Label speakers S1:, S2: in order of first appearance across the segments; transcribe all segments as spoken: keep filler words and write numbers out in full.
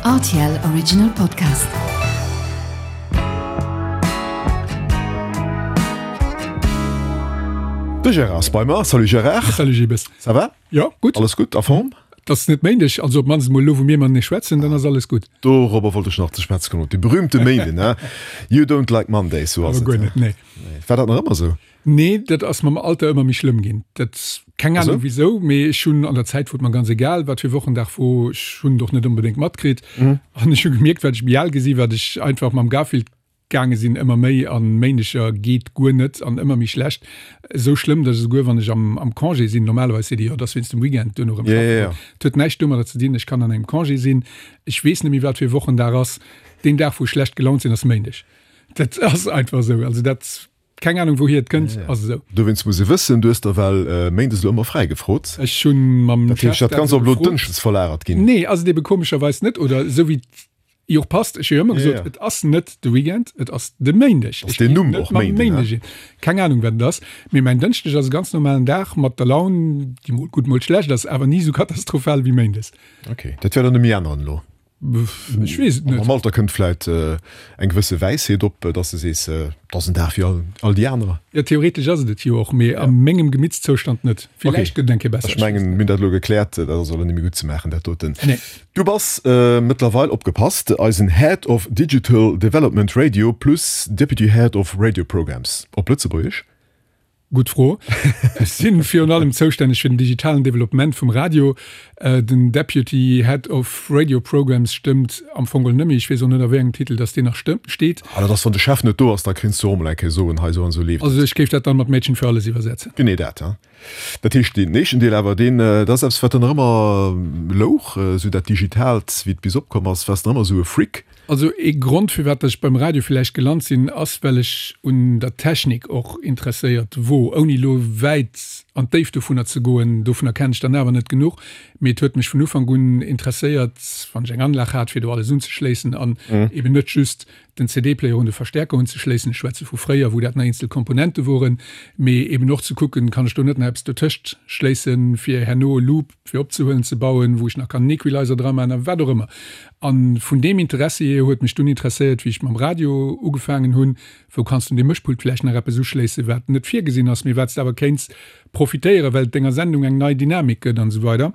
S1: R T L Original Podcast.
S2: De Gérard ass bei mer. Salut Gérard.
S3: Salut Gilles.
S2: Ça va?
S3: Jo, gutt.
S2: Alles gutt, a Form?
S3: Et ass net Méindeg, also op d'mannst emol elo wou mir matenee schwätzen, dann ass alles gutt.
S2: Dorobber wollt ech nach ze schwätze kommen, op dee berühmte Méinden, he? You don't like Mondays, sou ass
S3: et. Awer guer net, nee.
S2: War dat nach ëmmer sou?
S3: Nee, dat ass mam Alter ëmmer méi schlëmm ginn. Dat, keng Ahnung wisou, mee ech hunn an der Zäit, wou et mer ganz egal wat fir Wochendag wor, ech hunn et och net onbedéngt matkritt. An ech hu gemierkt, wat ech méi al gi sinn, wat ech einfach mam Garfield gaange sinn, ëmmer méi an Méindeger geet guer net an ëmmer méi schlecht. Esou schlëmm, datt ech esouguer wann ech am am Congé sinn, normalerweis seet ee jo, et ass wéinst dem Weekend duerno erëm schaffen goen. Et huet näischt domadder ze dinn, ech kann an engem Congé sinn, ech weess net méi wat fir Wochendag ass. Deen Dag wou ech schlecht gelaunt sinn, ass Méindeg. Dat ass einfach esou. Also dat. Keng Ahnung wouhier et kënnt, ass esou.
S2: Dowéinst muss ee wëssen, du hues der well méindes elo ëmmer fräi gefrot.
S3: Ech hunn mam
S2: Dat heescht, dat Ganzt ass elo dënschdes verlagert ginn?
S3: Nee, ass et ebe komescherweis net, oder esou wéi et jo och passt. Ech hu jo ëmmer gesot, et ass net de Weekend, et ass de Méindeg.
S2: Ass deen Numm och Méinden, ne?
S3: Keng Ahnung wat et ass, mee mäin Dënschdeg ass e ganz normalen Dag mat der Laun, déi mol gutt, mol schlecht ass, awer ni esou katastrophal wéi méindes.
S2: Ok, dat wäert der net méi änneren elo?
S3: Ech weess et net.
S2: Mam Alter kënnt vläit eng gewësse Wäisheet op, dass de sees, et ass en Dag wéi all déi anerer.
S3: Jo, theoretesch ass et et jo och, mee a mengem Gemittszoustand net. Villäicht gëtt et eng Kéier besser.
S2: Ech mengen, mir hunn dat elo gekläert, dat ass elo net méi gutt ze maachen, dat doten.
S3: Nee.
S2: Du bass mëttlerweil, opgepasst, eisen Head of Digital Development Radio plus Deputy Head of Radio Programs op Lëtzebuergesch.
S3: Gutt Fro. Ech si virun allem zoustänneg fir den digitalen Developpement vum Radio. Den Deputy Head of Radio Programs stëmmt am Fong geholl net méi. Ech weess och net, a wéi engem Titel dass deen nach steet.
S2: Ah, dat ass, wann de Chef net do ass, da kéints du och emol eng Kéier soen, hei esou an esou leeft et.
S3: Also ech géif dat dann mat Mädchen für alles iwwersetzen.
S2: Genee dat, ja. Dat heescht, deen éischten Deel awer, deen, dat ass eppes, wat dann nach ëmmer louch, esou dat Digitaalt, wéi et bis opkomm ass, waars de nach ëmmer esou e Freak.
S3: Also ee Grond firwat dass ech beim Radio villäicht gelant sinn, ass well ech un der Technik och interesséiert wor, ouni elo wäit an d'Déift dovunner ze goen, dovunner kennen ech dann awer net genuch, mee et huet mech vun Ufank un interesséiert, wann ech eng Anlag hat fir do alles unzeschléissen an eben net just den C D-Player un de Verstärker unzeschléissen, ech schwätze vu fréier wou dat nach eenzel Komponente woren, mee eben och ze kucken, kann ech do net nach eppes dotëscht schléissen, fir herno e Loop fir opzehuelen ze bauen, wou ech nach kann en Equalizer dra maachen a wat och ëmmer. A vun deem Interessi hier huet mech dunn interesséiert, wéi ech mam Radio ugefaangen hunn, wou kanns du un deem Mëschpult vläicht nach eppes uschléissen, wat net virgesinn ass, mee wat s de awer kéints profitéieren, well et denger Sendung eng nei Dynamik gëtt an esou weider.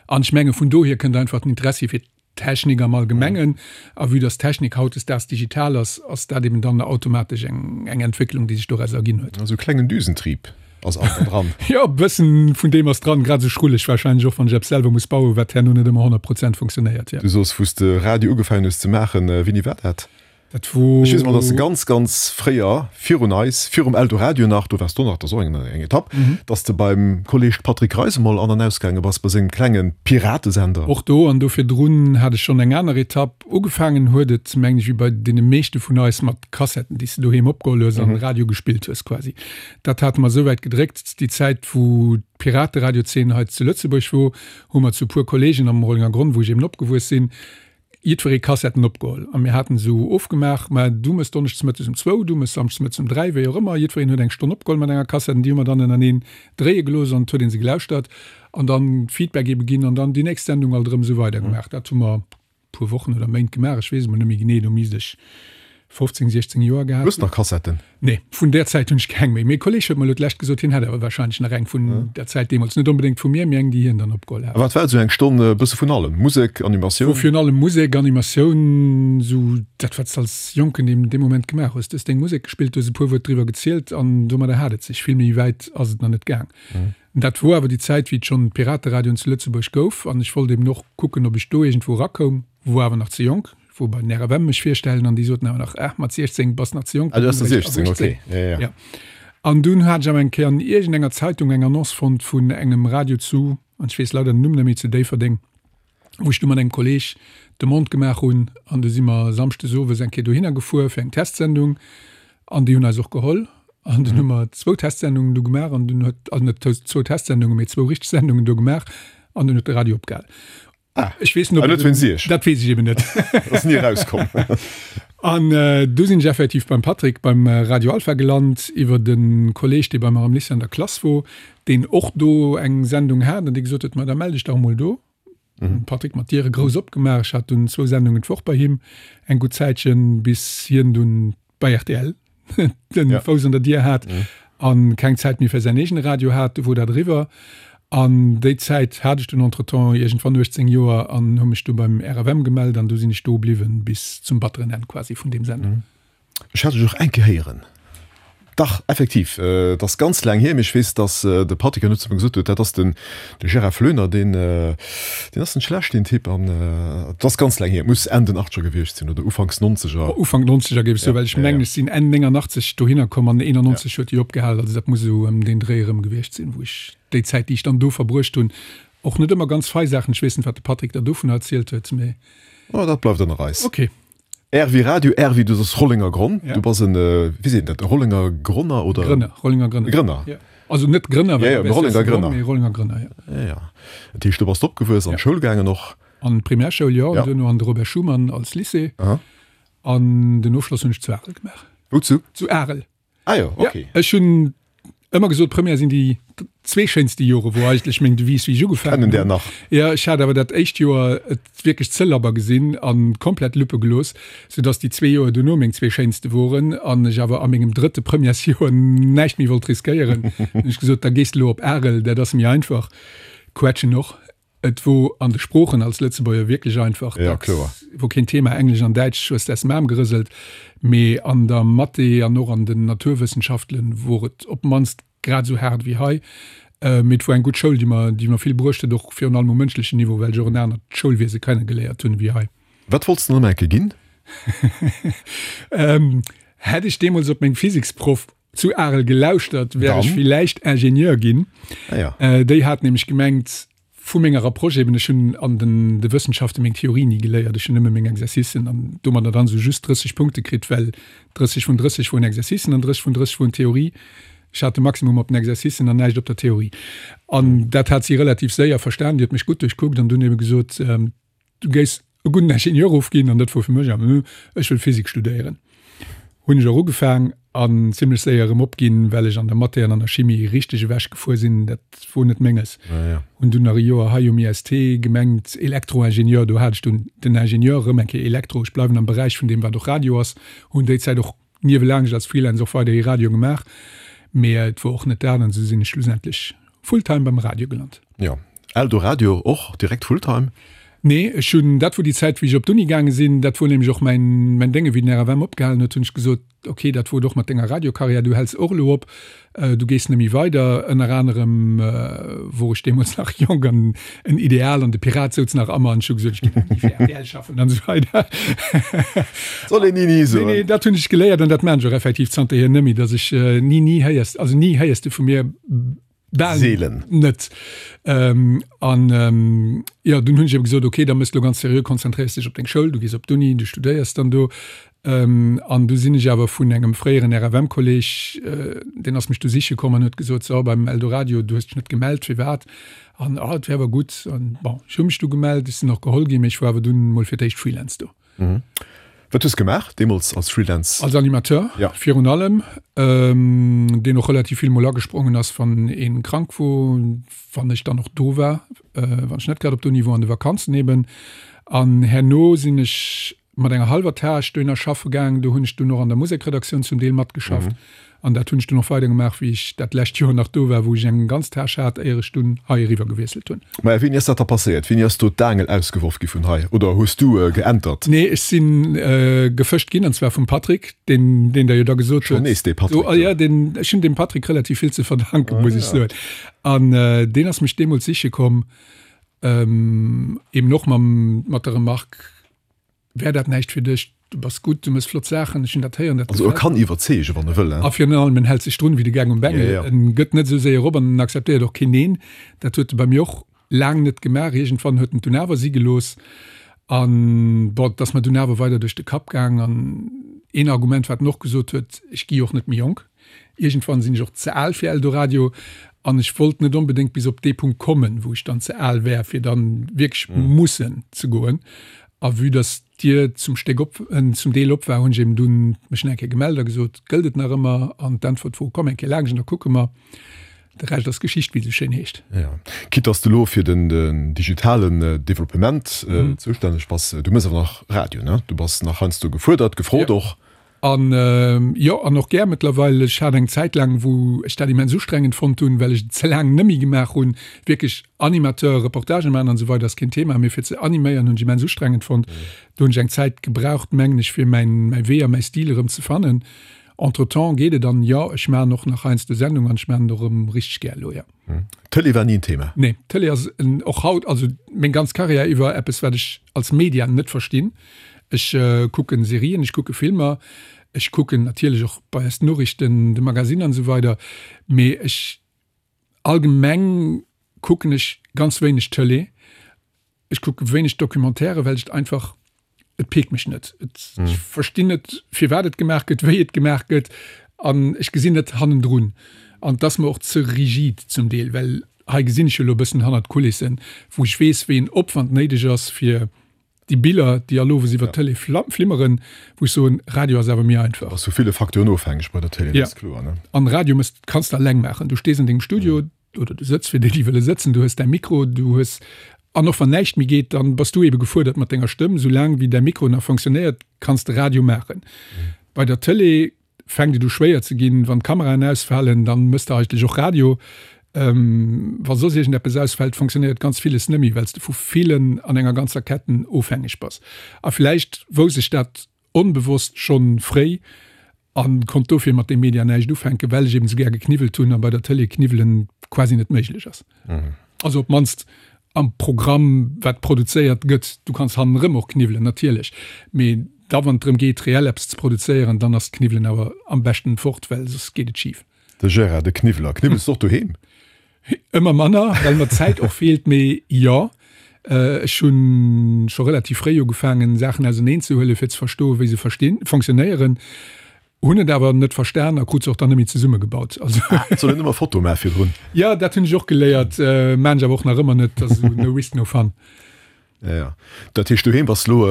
S3: An ech menge vun dohier kënnt einfach den Interessi fir d'Technik am Allgemengen. A vue dass d'Technik hautdesdaags digital ass, ass dat eben dann automatesch eng Entwécklung, déi sech doraus erginn huet.
S2: Also e klengen Düsentrieb ass einfach dran.
S3: Jo, e bëssen vun deem ass dran, grad esou schrulleg wahrscheinlech och, wann ech eppes selwer muss bauen, wat herno net ëmmer honnert Prozent funktionéiert, jo.
S2: Du soos, wou s de Radio ugefaangen hues ze maachen, wéini war dat?
S3: Dat wor.
S2: Ech weess emol, dass de ganz, ganz fréier, virun eis, virum Eldoradio nach, do waars du nach, dat ass och eng eng Etapp, dass de beim Kolleg Patrick Reis emol an an ausgaange bass bei sengem klenge Piratesender.
S3: Och do an do virdrun hat ech schonn eng aner Etapp. Ugefaangen huet et, mengen ech, wéi bei deene meeschte vun eis, mat Kassetten, déi s de doheem opgeholl hues an Radio gespillt hues quasi. Dat hate mer esouwäit gedréckt, déi Zäit, wou d'Pirateradiozeen hei zu Lëtzebuerg wor, hu mer zu e puer Kollegen am Rollengergronn, wou ech eben opgewuess sinn, jiddweree Kassetten opgeholl a mir haten esou ofgemaach, mä du mëss donneschdes mëttes um zwou, du mëss samschdes mëttes um dräi, wéi och ëmmer, jiddwereen huet eng Stonn opgeholl mat enger Kassett an déi hu mer dann ënnerteneen dréie gelooss an et huet ee se gelauschtert an dann Feedback ebe ginn an dann déi nächst Sendung alt erëm esou weider gemaach. Dat hu mer puer Wochen oder Méint gemaach, ech weess emol net méi genee, do misst ech fofzéng, siechzéng Joer gehat
S2: Hues de nach Kassetten?
S3: Nee, vun där Zäit hunn ech keng méi. Mee e Kolleeg huet mer elo d'lescht gesot, hien hätt awer warscheinlech nach eng vun där Zäit deemools. Net onbedéngt vu mir, mee eng, déi hien dann opgeholl
S2: A
S3: hat.
S2: wat war esou eng Stonn? E bësse vun allem? Musek, Animatioun?
S3: Wor virun allem Musek, Animatioun, esou dat, wat s de als Jonken deem dee Moment gemaach hues. Du hues deng Musek gespillt, du hues e puer Wuert driwwer gezielt an domadder hat et sech. Vill méi wäit ass et nach net gaang. Dat wor awer déi Zäit, wéi et schonn d'Pirateradioen zu Lëtzebuerg gouf an ech wollt eben och kucken, ob ech do iergendwou erakoum. Wor awer nach ze jonk. Wor bei den R F M mech virstellen an déi soten awer nach, ah, mat siechzéng bass nach ze jonk.
S2: Ah, du ass der siechzéng, okay. Ja, ja.
S3: Ja. An dunn hat ech awer eng Kéier an iergendenger Zeitung eng Annonce fonnt vun engem Radio zu, an ech weess leider den Numm net méi, zu Déifferdeng, wou ech du mat engem Kolleg Demande gemaach hunn an du si mer samschdes owes eng Kéier dohinner gefuer fir eng Testsendung an déi hunn eis och geholl an dunn hu mer zwou Testsendungen do gemaach an dunn huet, also net zwou Testsendungen, mee zwou richteg Sendungen do gemaach an dunn huet de Radio opgehal.
S2: Ah,
S3: Ech weess net,
S2: ah,
S3: ob
S2: net wéinst Iech.
S3: Dat weess ech eben net.
S2: Ass ni erauskomm.
S3: An du sinn ech effektiv beim Patrick beim Radio Alpha gelant, iwwer e Kolleg, dee bei mer am Lycée an der Klass wor, deen och do eng Sendung hat an dee gesot huet, Ma da mell dech dach emol do. Mhm. Patrick mer d'Diere grouss opgemaach. Ech hat dunn zwou Sendungen d'Woch bei him eng gutt Zäitchen, bis hien dunn bei rtl den ja. Fouss an der Dier hat mhm. an keng Zäit méi fir säin eegene Radio hat, du wor dat eriwwer. An déi Zäit hat ech dunn entretemps iergendwann uechtzéng Joer an hu mech du beim R F M gemellt an du sinn ech do bliwwen bis zum batteren Enn quasi vun deem Sender.
S2: Mhm. Ech hat dech och eng Kéier héieren. Dach, effektiv, et ass ganz laang hier, mee ech weess, dass de Patrick herno zu mir gesot huet, dat ass den de Gérard Floener, deen deen ass net schlecht, deen Typ. An et ass ganz laang hier, et muss Enn den Achtzeger gewiescht sinn oder Ufanks Nonzeger.
S3: Ufank Nonzeger géif ech soen, well ech mengen, ech sinn Enn néngannachtzeg dohinner komm an eenannonzeg huet déi opgehal. Also dat muss esou ëm deen Dréi erëm gewiescht sinn, wou ech déi Zäit, déi ech dann do verbruecht hunn, och net ëmmer ganz fei Saachen, ech weess net, wat de Patrick der dovunner erzielt huet, mee.
S2: Oh, dat bleift ënner eis.
S3: Okay.
S2: R wéi Radio, R wéi du soss Rollenger Gronn. Ja. Du bass en, wéi seet een dat, e Rollenger Gronner oder?
S3: Grënner, Rollenger Grënner.
S2: Grënner.
S3: Ja. Also net Grënner,
S2: well ja, ja, Rollenger Grënner.
S3: Mee Rollenger Grënner,
S2: ja. Ja, ja. Dat heescht, du bass opgewuess, an d'Schoul gaangen och?
S3: An d'Primärschoul, jo, an duerno an de Robert Schuman als Lycée.
S2: Aha.
S3: An den Ofschloss hunn ech zu Arel gemaach.
S2: Wou zu?
S3: Zu Arel.
S2: Ah jo, okay.
S3: Ja, ech hunn ëmmer gesot, Première sinn déi zwee schéinste Jore, wor eigentlech meng Devise, wéi ech ugefaangen
S2: Kennen
S3: hunn.
S2: där nach.
S3: Jo, ech hat awer dat éischt Joer et wierklech ze labber gesinn a komplett Luppe gelooss, soudass déi zwee Joer duerno meng zwee schéinste woren an ech awer a mengem drëtte Premièresjoer näischt méi wollt riskéieren. Hunn ech gesot, da gees de elo op Arel, dat ass méi einfach. Quetschen och. Et wor an de Sproochen als Lëtzebuerger wierklech einfach,
S2: Ja,
S3: dat
S2: kloer.
S3: wor keen Thema, Englesch an Däitsch hues de aus dem Aarm gerëselt, mee an der Mathé an och an den Naturwëssenschaftlen wor et op d'mannst grad esou haart wéi hei. Mee et wor eng gutt Schoul, déi mer, déi mer vill bruecht huet, och virun allem um mënschlechen Niveau, well ech och en anert Schoulwiese kennegeléiert hunn ewéi hei.
S2: Wat wollts de dann ëmmer enke ginn?
S3: Hätt ech deemools op meng Physiksproff zu Arel gelauschtert, wär ech
S2: Dann?
S3: villäicht Ingenieur ginn.
S2: Ah ja.
S3: Déi hat nämlech gemengt, vu menger Approche eben, ech hunn an den de Wëssenschafte meng Theorie ni geléiert, ech hunn nëmme meng Exercicen an domadder dann esou just drësseg Punkte kritt, well drësseg vun drësseg woren Exercicen an drësseg vun drësseg woren Theorie. Ech hat de Maximum op den Exercicen an näischt op der Theorie. An dat hat si relativ séier verstan, déi huet mech gutt duerchkuckt an dunn ebe gesot, Du géifs e gudden Ingenieur ofginn an dat wor fir mech awer, ech wëll Physik studéieren. Hunn ech och ugefaang an zimlech séier erëm opginn, well ech an der Mathé an an der Chimie richteg ewech gefuer sinn. Dat wor net menges. Hunn dunn nach e Joer hei um I S T gemengt, Elektroingenieur, do hat ech dunn den Ingenieur erëm eng Kéier Elektro, ech bleiwen am Beräich vun deem wat och Radio ass. Hunn déi Zäit och niewelaanscht als Freelance och weiderhi Radio gemaach, mee et wor och net dat an esou sinn ech schlussendlech fulltime beim Radio gelant.
S2: Jo, Eldoradio och direkt fulltime?
S3: Nee, ech hunn, dat wor déi Zäit wéi ech op d'Uni gaange sinn, dat wor nämlech och mäin, mäin Dénge wéi den R F M opgehalen huet, hunn ech gesot, ok, dat wor et och mat denger Radiokarriär, du häls och elo op, du gees net méi weider. Ënner anerem wor ech deemools nach jonk an en Ideal an de Pirat souz nach a mer an ech hu gesot, ech géif ni fir R T L schaffen an esou weider.
S2: Soll een ni ni
S3: Nee,
S2: soen.
S3: nee, dat hunn ech geléiert an dat maan ech och effektiv zanterhier net méi, datt ech ni ni héiers, also ni héiers de vu mir. Bal
S2: Seelen.
S3: net. An jo, dunn hunn ech ebe gesot, okay, da mëss de lo ganz seriö, konzentréiers dech op deng Schoul, du gees op d'Uni, du studéiers dann do. An du sinn ech awer vun engem fréieren R F M-Kolleg, deen ass mech du siche komm an huet gesot, so, beim Eldoradio, du hues dech net gemellt, firwat? An, ah, et wär awer gutt. An bon, ech hu mech du gemellt, ech sinn och geholl ginn, mee ech war awer dunn mol fir d'éischt Freelance do.
S2: Wat hues gemaach deemools als Freelance?
S3: Als Animateur
S2: Ja.
S3: virun allem, deen och relativ vill mol agesprongen ass, wann een krank wor, wann ech dann och do war, wann ech net grad op d'Uni wor, an de Vakanzen eben. An herno sinn ech mat enger hallwer Tâche dohinner schaffe gaang. Do hunn ech dunn och an der Musekredaktioun zum Deel matgeschafft. An dat hunn ech dunn och weider gemaach, wéi ech dat lescht Joer nach do war, wou ech eng ganz Tâche hat, éier ech dunn hei eriwwer gewiesselt hunn.
S2: Maja, wéini ass dat da passéiert? Wéini ass do d'Aangel ausgeworf gi vun hei? Oder hues du geäntert?
S3: Nee, ech si gefëscht ginn, an zwar vum Patrick, deen, deen der jo da gesot
S2: Schonn
S3: huet.
S2: nees dee Patrick
S3: Do,
S2: do.
S3: jo, deen, ech hunn dem Patrick relativ vill ze verdanken, muss ech soen. An deen ass mech deemools siche komm, eben och mam, mat der Remarque, Wär dat näischt fir dech? Du bass gutt, du méchs flott Saachen, ech hunn dat héieren, dat
S2: Also e
S3: gefält
S2: kann
S3: mer.
S2: iwwerzeegen, wann e wëll,
S3: A
S2: hein?
S3: virun allem, en hält sech drun wéi de Gaang um
S2: Ja,
S3: Bengel.
S2: ja.
S3: En gëtt net esou séier op an en akzeptéiert och keen Neen. Dat huet e bei mir och laang net gemaach. Iergendwann huet en et dunn awer si gelooss. An bon, et ass mer dunn awer weider duerch de Kapp gaang. An een Argument, wat en och gesot huet, Ech gi och net méi jonk. Iergendwann sinn ech och ze al fir Eldoradio an ech wollt net onbedéngt bis op dee Punkt kommen, wou ech dann ze al wär, fir dann wierklech mussen ze goen. A vue dass d'Dier zum Stéck op, zum Deel op war, hunn ech eben dunn mech nach eng Kéier gemellt a gesot, Gëllt et nach ëmmer? An d'Äntwert wor, Komm eng Kéier laanscht an da kucke mer. De Rescht ass Geschicht, wéi et esou schéin heescht.
S2: Jo. Quitte dass de elo fir den digitalen Developpement zoustänneg bass, du méchs awer nach Radio, ne? Du bass nach heiansdo gefuerdert, gefrot och.
S3: An jo, an och gär mëttlerweil. Ech hat eng Zäit laang, wou ech dat immens ustrengend fonnt hunn, well ech et ze laang nëmmi gemaach hunn, wierklech Animateur, Reportagen maachen an esou weider ass keen Thema, mee fir ze animéieren hunn ech immens ustrengend fonnt. Do hunn ech eng Zäit gebraucht, mengen ech, fir mäin mäi Wee a mäi Stil erëm ze fannen. Entretemps geet et an jo, ech maachen och nach heiansdo Sendung an ech maachen et och erëm richteg gär elo, jo.
S2: Tëlee war ni en Thema?
S3: Nee, Tëlee ass och haut, also meng ganz Karriär iwwer, eppes wat ech als Media net verstinn. Ech kucken Serien, ech kucke Filmer, ech kucken natierlech och bei eis d'Noriichten, de Magazine an esou weider, mee ech allgemeng kucken ech ganz wéineg Tëlee. Ech kucke wéineg Documentaire, well ech et einfach, et piekt mech net. Et, ech verstinn net, firwat et gemaach gëtt, wéi et gemaach gëtt an ech gesinn net hannendrun. An et ass mer och ze rigid zum Deel, well hei gesinn ech jo elo e bëssen hannert d'Kulissen, wou ech weess, wéi en Opwand néideg ass, fir Déi Biller, déi all owes iwwer d'Tëlee flimmeren, wou ech soen, Radio ass awer méi einfach.
S2: Ass vu ville Facteuren ofhängeg bei der Tëlee, dat ass kloer, ne?
S3: An Radio mëss, kanns de alleng maachen. Du stees an dengem Studio oder du sëtz, fir déi, déi wëlle sëtzen, du hues däi Mikro, du hues, an och wann näischt méi geet, dann bass du ebe gefuerdert mat denger Stëmm. Soulaang wéi däi Mikro nach fonctionnéiert, kanns de Radio maachen. Bei der Tëlee fänkt et u schwéier ze ginn, wann d'Kameraen ausfalen, dann mëss de eigentlech och Radio. Wa soss iergendeppes ausfält, fonctionnéiert ganz villes net méi, well s de vu villen an enger ganzer Ketten ofhängeg bass. A vläicht wousst ech dat onbewosst schonn fréi a konnt dofir mat deem Media näischt ufänken, well ech eben esou gär gekniwwelt hunn a bei der Tëlee kniwwelen quasi net méiglech ass. Also op d'mannst am Programm, wat produzéiert gëtt. Du kanns hannerëm och kniwwelen, natierlech, mee da wann et drëm geet, reell eppes ze produzéieren, dann ass d'Kniwwelen awer am beschten fort, well soss geet et schif.
S2: De Gérard, de Kniwweler. Kniwwels de och doheem?
S3: Ëmmer manner, well mer d'Zäit och feelt, mee jo. Ech hu scho relativ fréi ugefaangen, Saachen auseneen ze huelen, fir ze verstoen, wéi se verstinn, fonctionnéieren. Hunn et awer net verstan a krut se och dann net méi zesummegebaut. Also.
S2: Ah, et soll een ëmmer Foto maache virdrun.
S3: Jo, dat hunn ech och geléiert, maan ech awer och nach ëmmer net. Dat ass esou no risk, no fun.
S2: Ja, ja. Dat heescht, doheem bass lo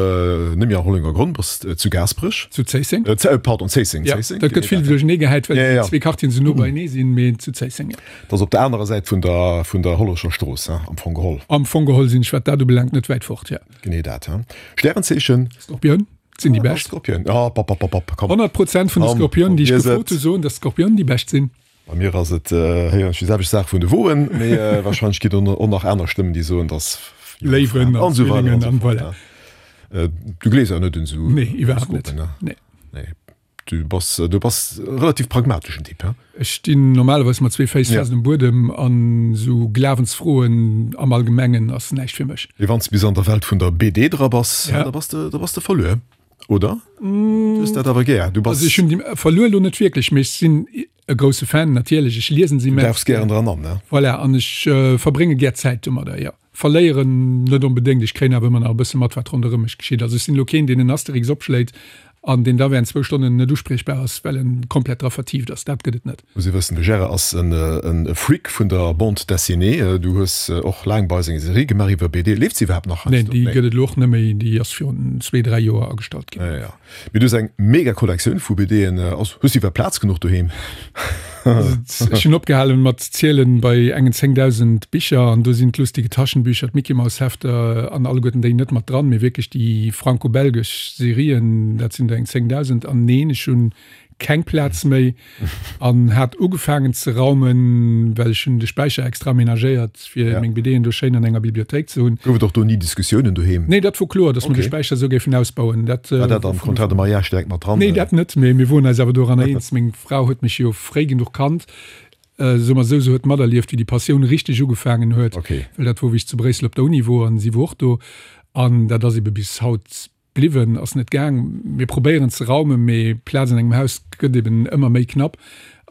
S2: net méi am Rollengergronn, bass zu Gaasperech?
S3: Zu Zéisseng.
S2: Äh, pardon, Zéisseng,
S3: Ja,
S2: Zéisseng.
S3: dat gëtt vill duerchenee gehäit, well
S2: Ja, ja.
S3: déi zwee Quartieren esou no beienee sinn, mee zu Zéisseng, ja.
S2: Dat ass op der anerer Säit vun der, vun der Hollerecher Strooss, hein, am Fong geholl.
S3: Am Fong geholl sinn ech, wat dat ubelaangt, net wäit fort, ja.
S2: Genee dat, hein. Stärenzeechen?
S3: Skorpioun sinn déi bescht.
S2: Skorpioun, ah, pap, pap, pap, pap, komm.
S3: Honnert Prozent vun de
S2: Komm,
S3: Skorpiounen, déi ech
S2: probier se.
S3: gefrot hu, soen, dass d'Skorpiounen déi bescht sinn.
S2: Bei mir ass et, héieren ech déi selwecht Saach vun de Woen, mee wahrscheinlech ginn et och nach aner Stëmmen, déi soen, dass
S3: Léiwen
S2: an
S3: an
S2: esou weider
S3: Zwillingen
S2: an
S3: an
S2: esou fort.
S3: voilà.
S2: Du gleefs awer net un esou
S3: Nee, iwwerhaapt net.
S2: Horoskopen, ne?
S3: Nee.
S2: Nee. Du bass, du bass e relativ pragmateschen Typ, he?
S3: Ech stinn normalerweis mat zwee Féiss
S2: Ja.
S3: fest um Buedem an esou Glawensfroen am Allgemengen ass näischt fir mech.
S2: Mee wann s de bis an der Welt vun der B D dra bass,
S3: Ja.
S2: da bass de, da bass de verluer, oder? Du hues dat awer gär. Du bass.
S3: Also ech hunn déi verluer elo net wierklech, mee ech sinn e grousse Fan natierlech, ech liesen se
S2: Du
S3: immens
S2: dauchs gären dran an, ne?
S3: Voilà, an ech verbrénge gär Zäit domadder, jo. Verléieren net onbedéngt, ech kréien awer ëmmer nach e bësse mat, wat ronderëm mech geschitt. Also ech sinn elo keen, deen en Asterix opschléit an deen da während zwou Stonnen net uspriechbar ass, well en komplett dra vertieft ass. Dat gëtt et net.
S2: Muss ee wëssen, de Gérard ass e Freak vun der Bande dessinée. Du hues och laang bei eis eng Serie gemaach iwwer B D. Leeft se iwwerhaapt nach
S3: Neen,
S2: heiansdo?
S3: déi gëtt et elo och net méi. Déi ass virun zwee, dräi Joer agestallt ginn.
S2: Ja, ja. Mee du hues eng mega Kollektioun vu B D'en. Also, hues du iwwerhaapt Plaz genuch doheem?
S3: Ech hunn opgehalen mat zielen bei engen zéngdausend Bicher an do sinn d'lustige Taschenbücher, d'Mickey-Maus-Hefter an alleguerten déi net mat dran, mee wierklech déi franco-belgesch Serien, dat sinn der eng zéngdausend. An neen, ech hunn keng Plaz méi an hat ugefaangen ze raumen, well ech hunn de Späicher extra amenagéiert, fir meng B D'en do schéin an enger Bibliothéik ze hunn.
S2: Gouf et och do ni Diskussiounen doheem?
S3: Nee, dat wor kloer, datt mer de Späicher esou géifen ausbauen. Dat
S2: War dat am Contrat de mariage direkt mat dran?
S3: Nee, dat net, mee mir woren eis awer doranner eens. Meng Fra huet mech jo fréi genuch kannt, soe mer esou, se huet materlieft, wéi déi Passioun richteg ugefaangen huet, well dat wor, wéi ech zu Bréissel op der Uni wor an si wor och do. An dat ass ebe bis haut Bliwwen ass net gaang. Mir probéieren ze raumen, mee Plaz an engem Haus gëtt eben ëmmer méi knapp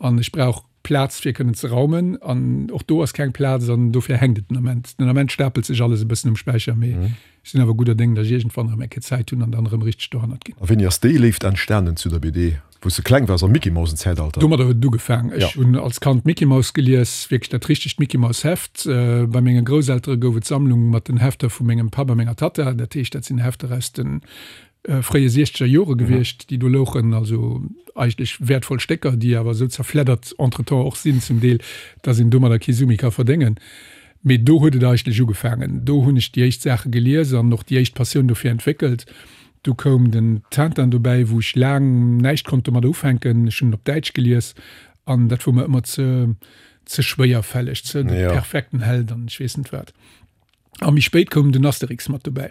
S3: an ech brauch Plaz fir kënnen ze raumen an och do ass keng Plaz an dofir hänkt et den Ament. Den Ament stapelt sech alles e bëssen um Späicher, mee ech sinn awer gudder Déng, datt ech iergendwann erëm eng Kéier Zäit hunn an dann erëm richteg dohannert ginn.
S2: A wéini ass déi Léift entstanen zu der B D? Wou s de kleng waars, am Mickey-Mausen-Zäitalter?
S3: Domadder huet et ugefaang. Ech hunn als Kand Mickey Mouse gelies, wierklech dat richtegt Mickey Mouse Heft. Bei menge Grousseltere gouf et d'Sammlung mat den Hefter vu mengem Papp a menger Tatta. Dat heescht, dat sinn Hefter aus de fréie siechzeger Jore gewiescht, déi do louchen, also eigentlech wäertvoll Stécker, déi awer esou zerfleddert entretemps och sinn zum Deel, dass een domadder kee Su méi ka verdéngen. Mee do huet et eigentlech ugefaangen. Do hunn ech déi éischt Saache gelies an och déi éischt Passioun dofir entwéckelt. Du koum den Tintin dobäi, wou ech laang näischt konnt domadder ufänken. Ech hunn en op Däitsch gelies an dat wor mer ëmmer ze ze schwéierfälleg, ze de perfekten Held an ech weess net wat. A méi spéit koum den Asterix mat dobäi.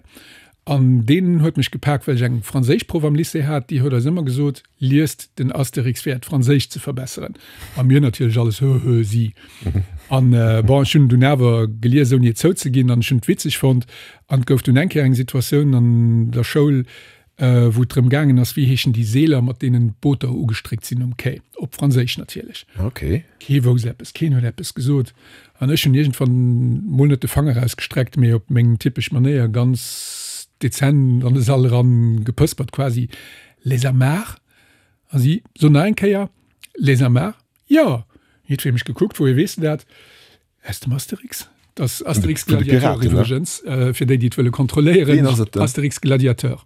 S3: An deen huet mech gepak, well ech eng Franséischproff am Lycée hat, déi huet eis ëmmer gesot, Liest den Asterix fir äert Franséisch ze verbesseren. A mir natierlech alles, Hö, hö, si. An bon, ech hunn en dunn awer gelies, ouni et zouzeginn, an ech hunn et witzeg fonnt. An et gouf dunn eng Kéier eng Situatioun an der Schoul, wou et drëm gaangen ass, wéi heeschen déi Seeler, mat deenen d'Booter ugestréckt sinn um Quai, op Franséisch natierlech.
S2: Okay.
S3: Kee wousst eppes, keen huet eppes gesot. An ech hunn iergendwann mol net de Fanger erausgestreckt, mee op meng typesch Manéier ganz dezent an de Sall eran gepëspert quasi, Les amarres? A si, So nach eng Kéier, Les amarres? Jo! Jiddweree mech gekuckt, Wouhier weess de dat? Aus dem Asterix. Dat ass Asterix Gladiateur iwwregens, fir déi, déi et wëlle kontrolléieren. Asterix Gladiateur.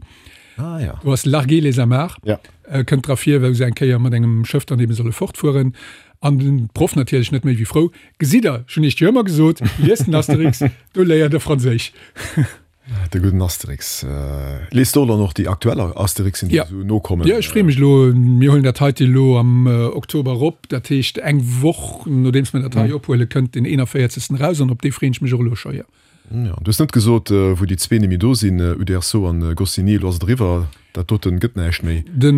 S2: Ah, ja.
S3: Do ass Larguer les amarres.
S2: Ja.
S3: Kënnt dra vir, wou se eng Kéier mat engem Schëff dann ebe solle fortfueren. An den Proff natierlech net méi wéi frou, Gesitt der, ech hunn iech jo ëmmer gesot, liest den Asterix, do léiert der Franséisch.
S2: De gudden Asterix. Liest de och dann och déi aktuell Asterixen, déi esou nokommen?
S3: Jo, ech freeë mech elo. Mir huelen dat heite elo am Oktober erop. Dat heescht, eng Woch nodeems mir dat hei ophuelen, kënnt deen eenanvéierzegsten eraus an op dee freeën ech mech och elo scho, jo.
S2: Jo, du hues net gesot, wou déi zwee nemmi do sinn, Uderzo an Goscinny. Elo ass et eriwwer. Dat doten gëtt näischt méi.
S3: De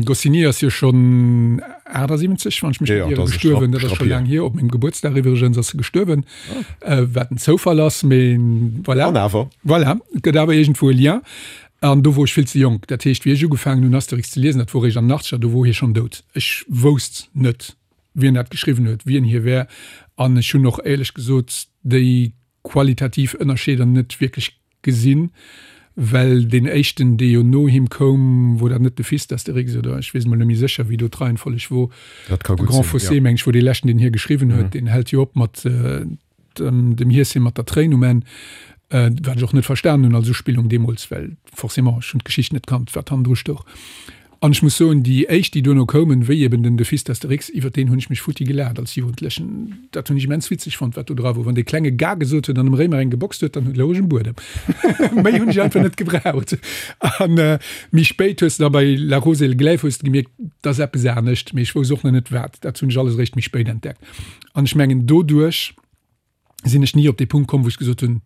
S3: Goscinny ass jo schonn achtasiwwenzeg, wann ech mech net ieren, gestuerwen. Dat ass scho laang hier. Op mengem Gebuertsdag iwwregens ass e gestuerwen, wat en Zoufall ass, mee voilà.
S2: An awer.
S3: Voilà, et gëtt awer iergendwou e Lien. An do wor ech vill ze jonk. Dat heescht, wéi ech ugefaangen hunn Asterix ze liesen, dat wor eréischt an den Achtzeger, do wor hie schonn dout. Ech wousst net, wien dat geschriwwen huet, wien hie wär. An ech hunn och éierlech gesot déi qualitativ Ënnerscheeder net wierklech gesinn, well deen éischten, dee jo no him koum, wor dat net de Fils d'Astérix oder ech weess emol net méi sécher, wéi do d'Reihenfolleg wor,
S2: Dat ka
S3: de
S2: gutt
S3: Grand
S2: sinn,
S3: Fossé,
S2: ja.
S3: meng ech, wor dee leschten, deen hie geschriwwen huet. Deen hält jo op mat dem Hieschen mat der Tréin um Enn, wat ech och net verstanen hunn als Uspillung deemools, well forcément, ech hunn d'Geschicht net kannt, wat hannendru stouch. An ech muss soen, déi éischt, déi duerno koumen, wéi eben den De Fils d'Astérix, iwwer deen hunn ech mech futti gelaacht als Jugendlechen. Dat hunn ech immens witzeg fonnt, wat do dra wor. Wann dee Klenge Ga gesot huet an dem Réimer eng geboxt huet, dann louch ech um Buedem. Méi hunn ech einfach net gebraucht. An méi spéit hues de da bei La Rose et le Glaive hues de gemierkt, 't ass eppes anescht, mee ech wousst och nach net wat. Dat hunn ech alles eréischt méi spéit entdeckt. An ech mengen, doduerch sinn ech ni op dee Punkt komm, wou ech gesot hunn,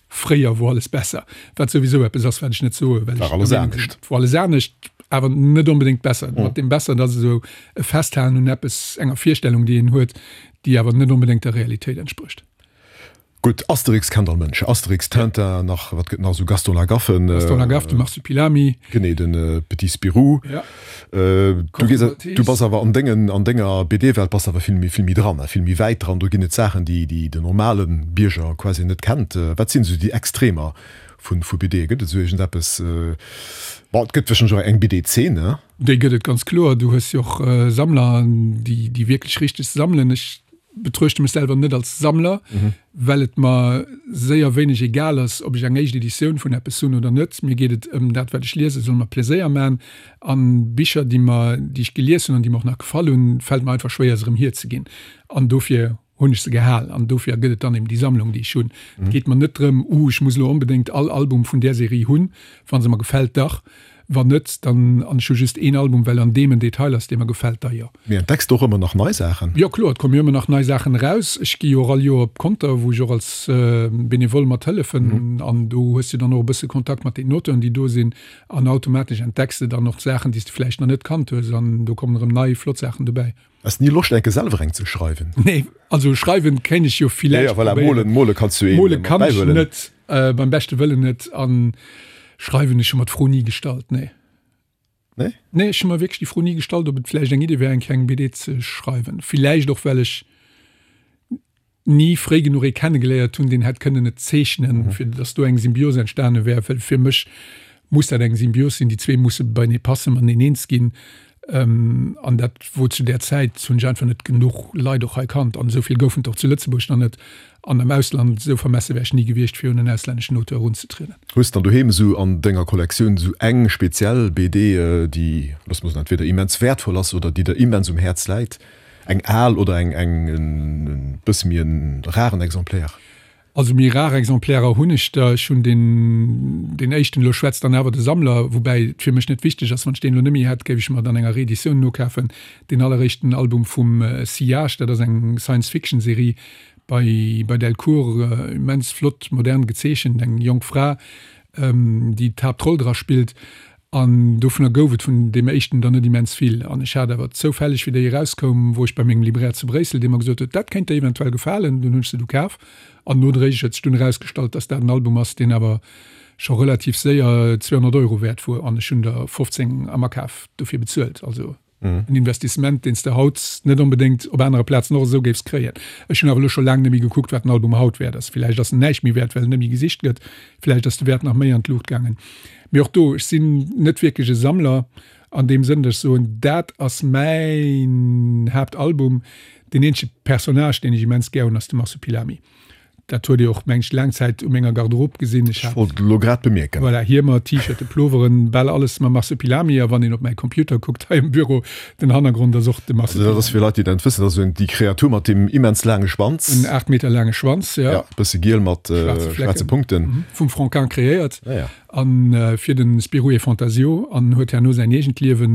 S3: Fréier wor alles besser, wat souwisou eppes ass, wat ech net soe, well ech
S2: War alles
S3: der Meenung sinn,
S2: anescht.
S3: et wor alles anescht, awer net onbedéngt besser. Mat deem besser, dat ass esou e Festhalen un eppes, enger Virstellung, déi een huet, déi awer net onbedéngt der Realitéit entsprécht.
S2: Gutt, Asterix kennt all Mënsch. Asterix, Tintin, nach, wat gëtt nach esou, Gaston Lagaffe.
S3: Gaston Lagaffe, de Marsupilami.
S2: Genee, de Petit Spirou.
S3: Ja.
S2: Du gees, du bass awer an dengen, an denger B D-Welt bass awer vill méi, vill méi dran, vill méi wäit dran. Do ginn et Saachen, déi, déi den normale Bierger quasi net kennt. Wat sinn esou déi Extremer vun, vu B D? Gëtt et esou iergendeppes, bon, et gëtt warscheinlech och eng B D-Zeen, ne?
S3: Déi gëtt et ganz kloer. Du hues jo och Sammler, déi, déi wierklech richteg sammelen. Ech betruechte mech selwer net als Sammler, well et mer séier wéineg egal ass, ob ech eng éischt Editioun vun eppes hunn oder net. Mir geet et ëm dat, wat ech liesen, soll mer Pleséier man. An Bicher, déi mer, déi ech gelies hunn an déi mer och nach gefall hunn, fält mer einfach schwéier, se erëm hierzeginn. An dofir hunn ech se gehal. An dofir gëtt et dann eben déi Sammlung, déi ech hunn. Et geet mer net drëm, uh, ech muss elo onbedéngt all Album vun där Serie hunn. Wa se mer gefält, dach. Wann net, dann, an ech hu just een Album, well an deem en Detail ass, dee mer gefält, da jo.
S2: Mee entdecks de och ëmmer nach nei Saachen?
S3: Jo kloer, et komme jo ëmmer nach nei Saachen eraus. Ech gi jo och all Joer op Conter, wou ech och als Benevole mat hëllefen. An do hues de dann och e bësse Kontakt mat den Auteuren, déi do sinn. An automatesch entdecks de dann och Saachen, déi s de vläicht nach net kannt hues. An do kommen erëm nei flott Saachen dobäi.
S2: Has ni Loscht enke selwer eng ze schreiwen?
S3: Nee, also schreiwen kéint ech jo villäicht
S2: Ja, voilà,
S3: probéieren.
S2: molen, mole kanns du een
S3: Mole
S2: mat
S3: kann ech
S2: bäihuelen.
S3: net, beim beschte Wëllen net. An Schreiwen, ech hu mer d'Fro ni gestallt, nee.
S2: Nee?
S3: Nee, ech hu mer wierklech déi Fro ni gestallt, ob et vläicht eng Idee wär, eng kleng B D ze schreiwen. Villäicht och, well ech ni fréi genuch ee kennegeléiert hunn, deen hätt kënnen et zeechnen, fir datt do eng Symbios entstane wär. Well fir mech muss dat eng Symbios sinn, déi zwee musse beienee passen, mateneen eens ginn. An dat wor zu där Zäit, hunn ech einfach net genuch Leit och hei kannt an esou vill goufen et och zu Lëtzebuerg nach net an am Ausland. Esou vermesse wär ech ni gewiescht, fir un en auslänneschen Auteur erunzetrieden.
S2: Hues dann doheem esou an denger Kollektioun esou eng speziell B D, déi, looss mer soen, entweder immens wäertvoll ass oder déi der immens um Häerz läit? Eng al oder eng eng e bësse méi en raren Exemplaire?
S3: Also méi rar Exemplairer hunn ech der. Ech hunn deen, deen éischten, elo schwätzt dann awer de Sammler, woubäi et fir mech net wichteg ass, wann ech deen elo net méi hätt, géif ech mer et an enger Reeditioun nokafen, deen alleréischten Album vum Sillage, dat ass eng Science-Fiction-Serie bei, bei Delcourt, immens flott modern gezeechent, eng jonk Fra, déi d'Haaptroll dra spillt. An dovunner gouf et vun deem éischten der net immens vill. An ech hat awer zoufälleg, wéi déi erauskoum, wor ech bei mengem Libraire zu Bréissel, dee mer gesot huet, dat kéint der eventuell gefalen. Dunn hunn ech se du kaf. An nodréiglech huet sech dunn erausgestallt, dass dat en Album ass, deen awer scho relativ séier zweehonnert Euro wäert wor. An ech hunn der fofzéng am Akaf dofir bezuelt. Also en Investissement, deen s de haut net onbedéngt op anere Plazen och esou géifs kréien. Ech hunn awer elo scho laang net méi gekuckt, wat den Album haut wäert ass. Villäicht ass en näischt méi wäert, well en net méi gesicht gëtt. Villäicht ass de Wäert nach méi an d'Luucht gaangen. Mee och do, ech sinn net wierklech e Sammler an deem Sënn, datt ech soen, dat ass mäin Haaptalbum. Deen eenzege Personnage, deen ech immens gär hunn, ass de Marsupilami. Dat huet Dir och, meng ech, laang Zäit u menger Garderobe gesinn. Ech
S2: hat, wollt elo grad bemierken.
S3: Voilà, Hiemer, T-Shirten, Ploveren, bal alles mam Marsupilami. A wann een op mäi Computer kuckt hei am Büro, den Hannergrond ass och de
S2: Also dat ass fir Leit, déi dat net wëssen, dat ass esou déi Kreatur mat deem immens laange Schwanz.
S3: En aacht Meter laange Schwanz,
S2: ja. Ja, bësse giel mat schwaarze Punkten.
S3: Vum Franquin kreéiert.
S2: Ah ja.
S3: A fir de Spirou et Fantasio an huet herno säin eegent Liewe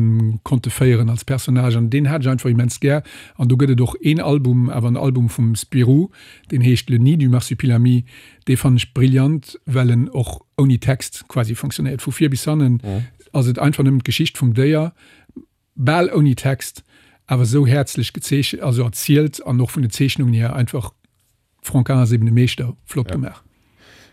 S3: konnte féieren als Personnage. An deen hat ech einfach immens gär. An do gëtt et och een Album, awer en Album vum Spirou, deen heescht Le nid du Marsupilami. Dee fannen ech brillant, well en och ouni Text quasi funktionéiert. Vu vir bis hannen ass et einfach nëmmen d'Geschicht vum Déier, bal ouni Text, awer esou häerzlech gezeechent, also erzielt an och vun den Zeechnungen hier einfach Franquin ass eben e Meeschter, flott gemaach.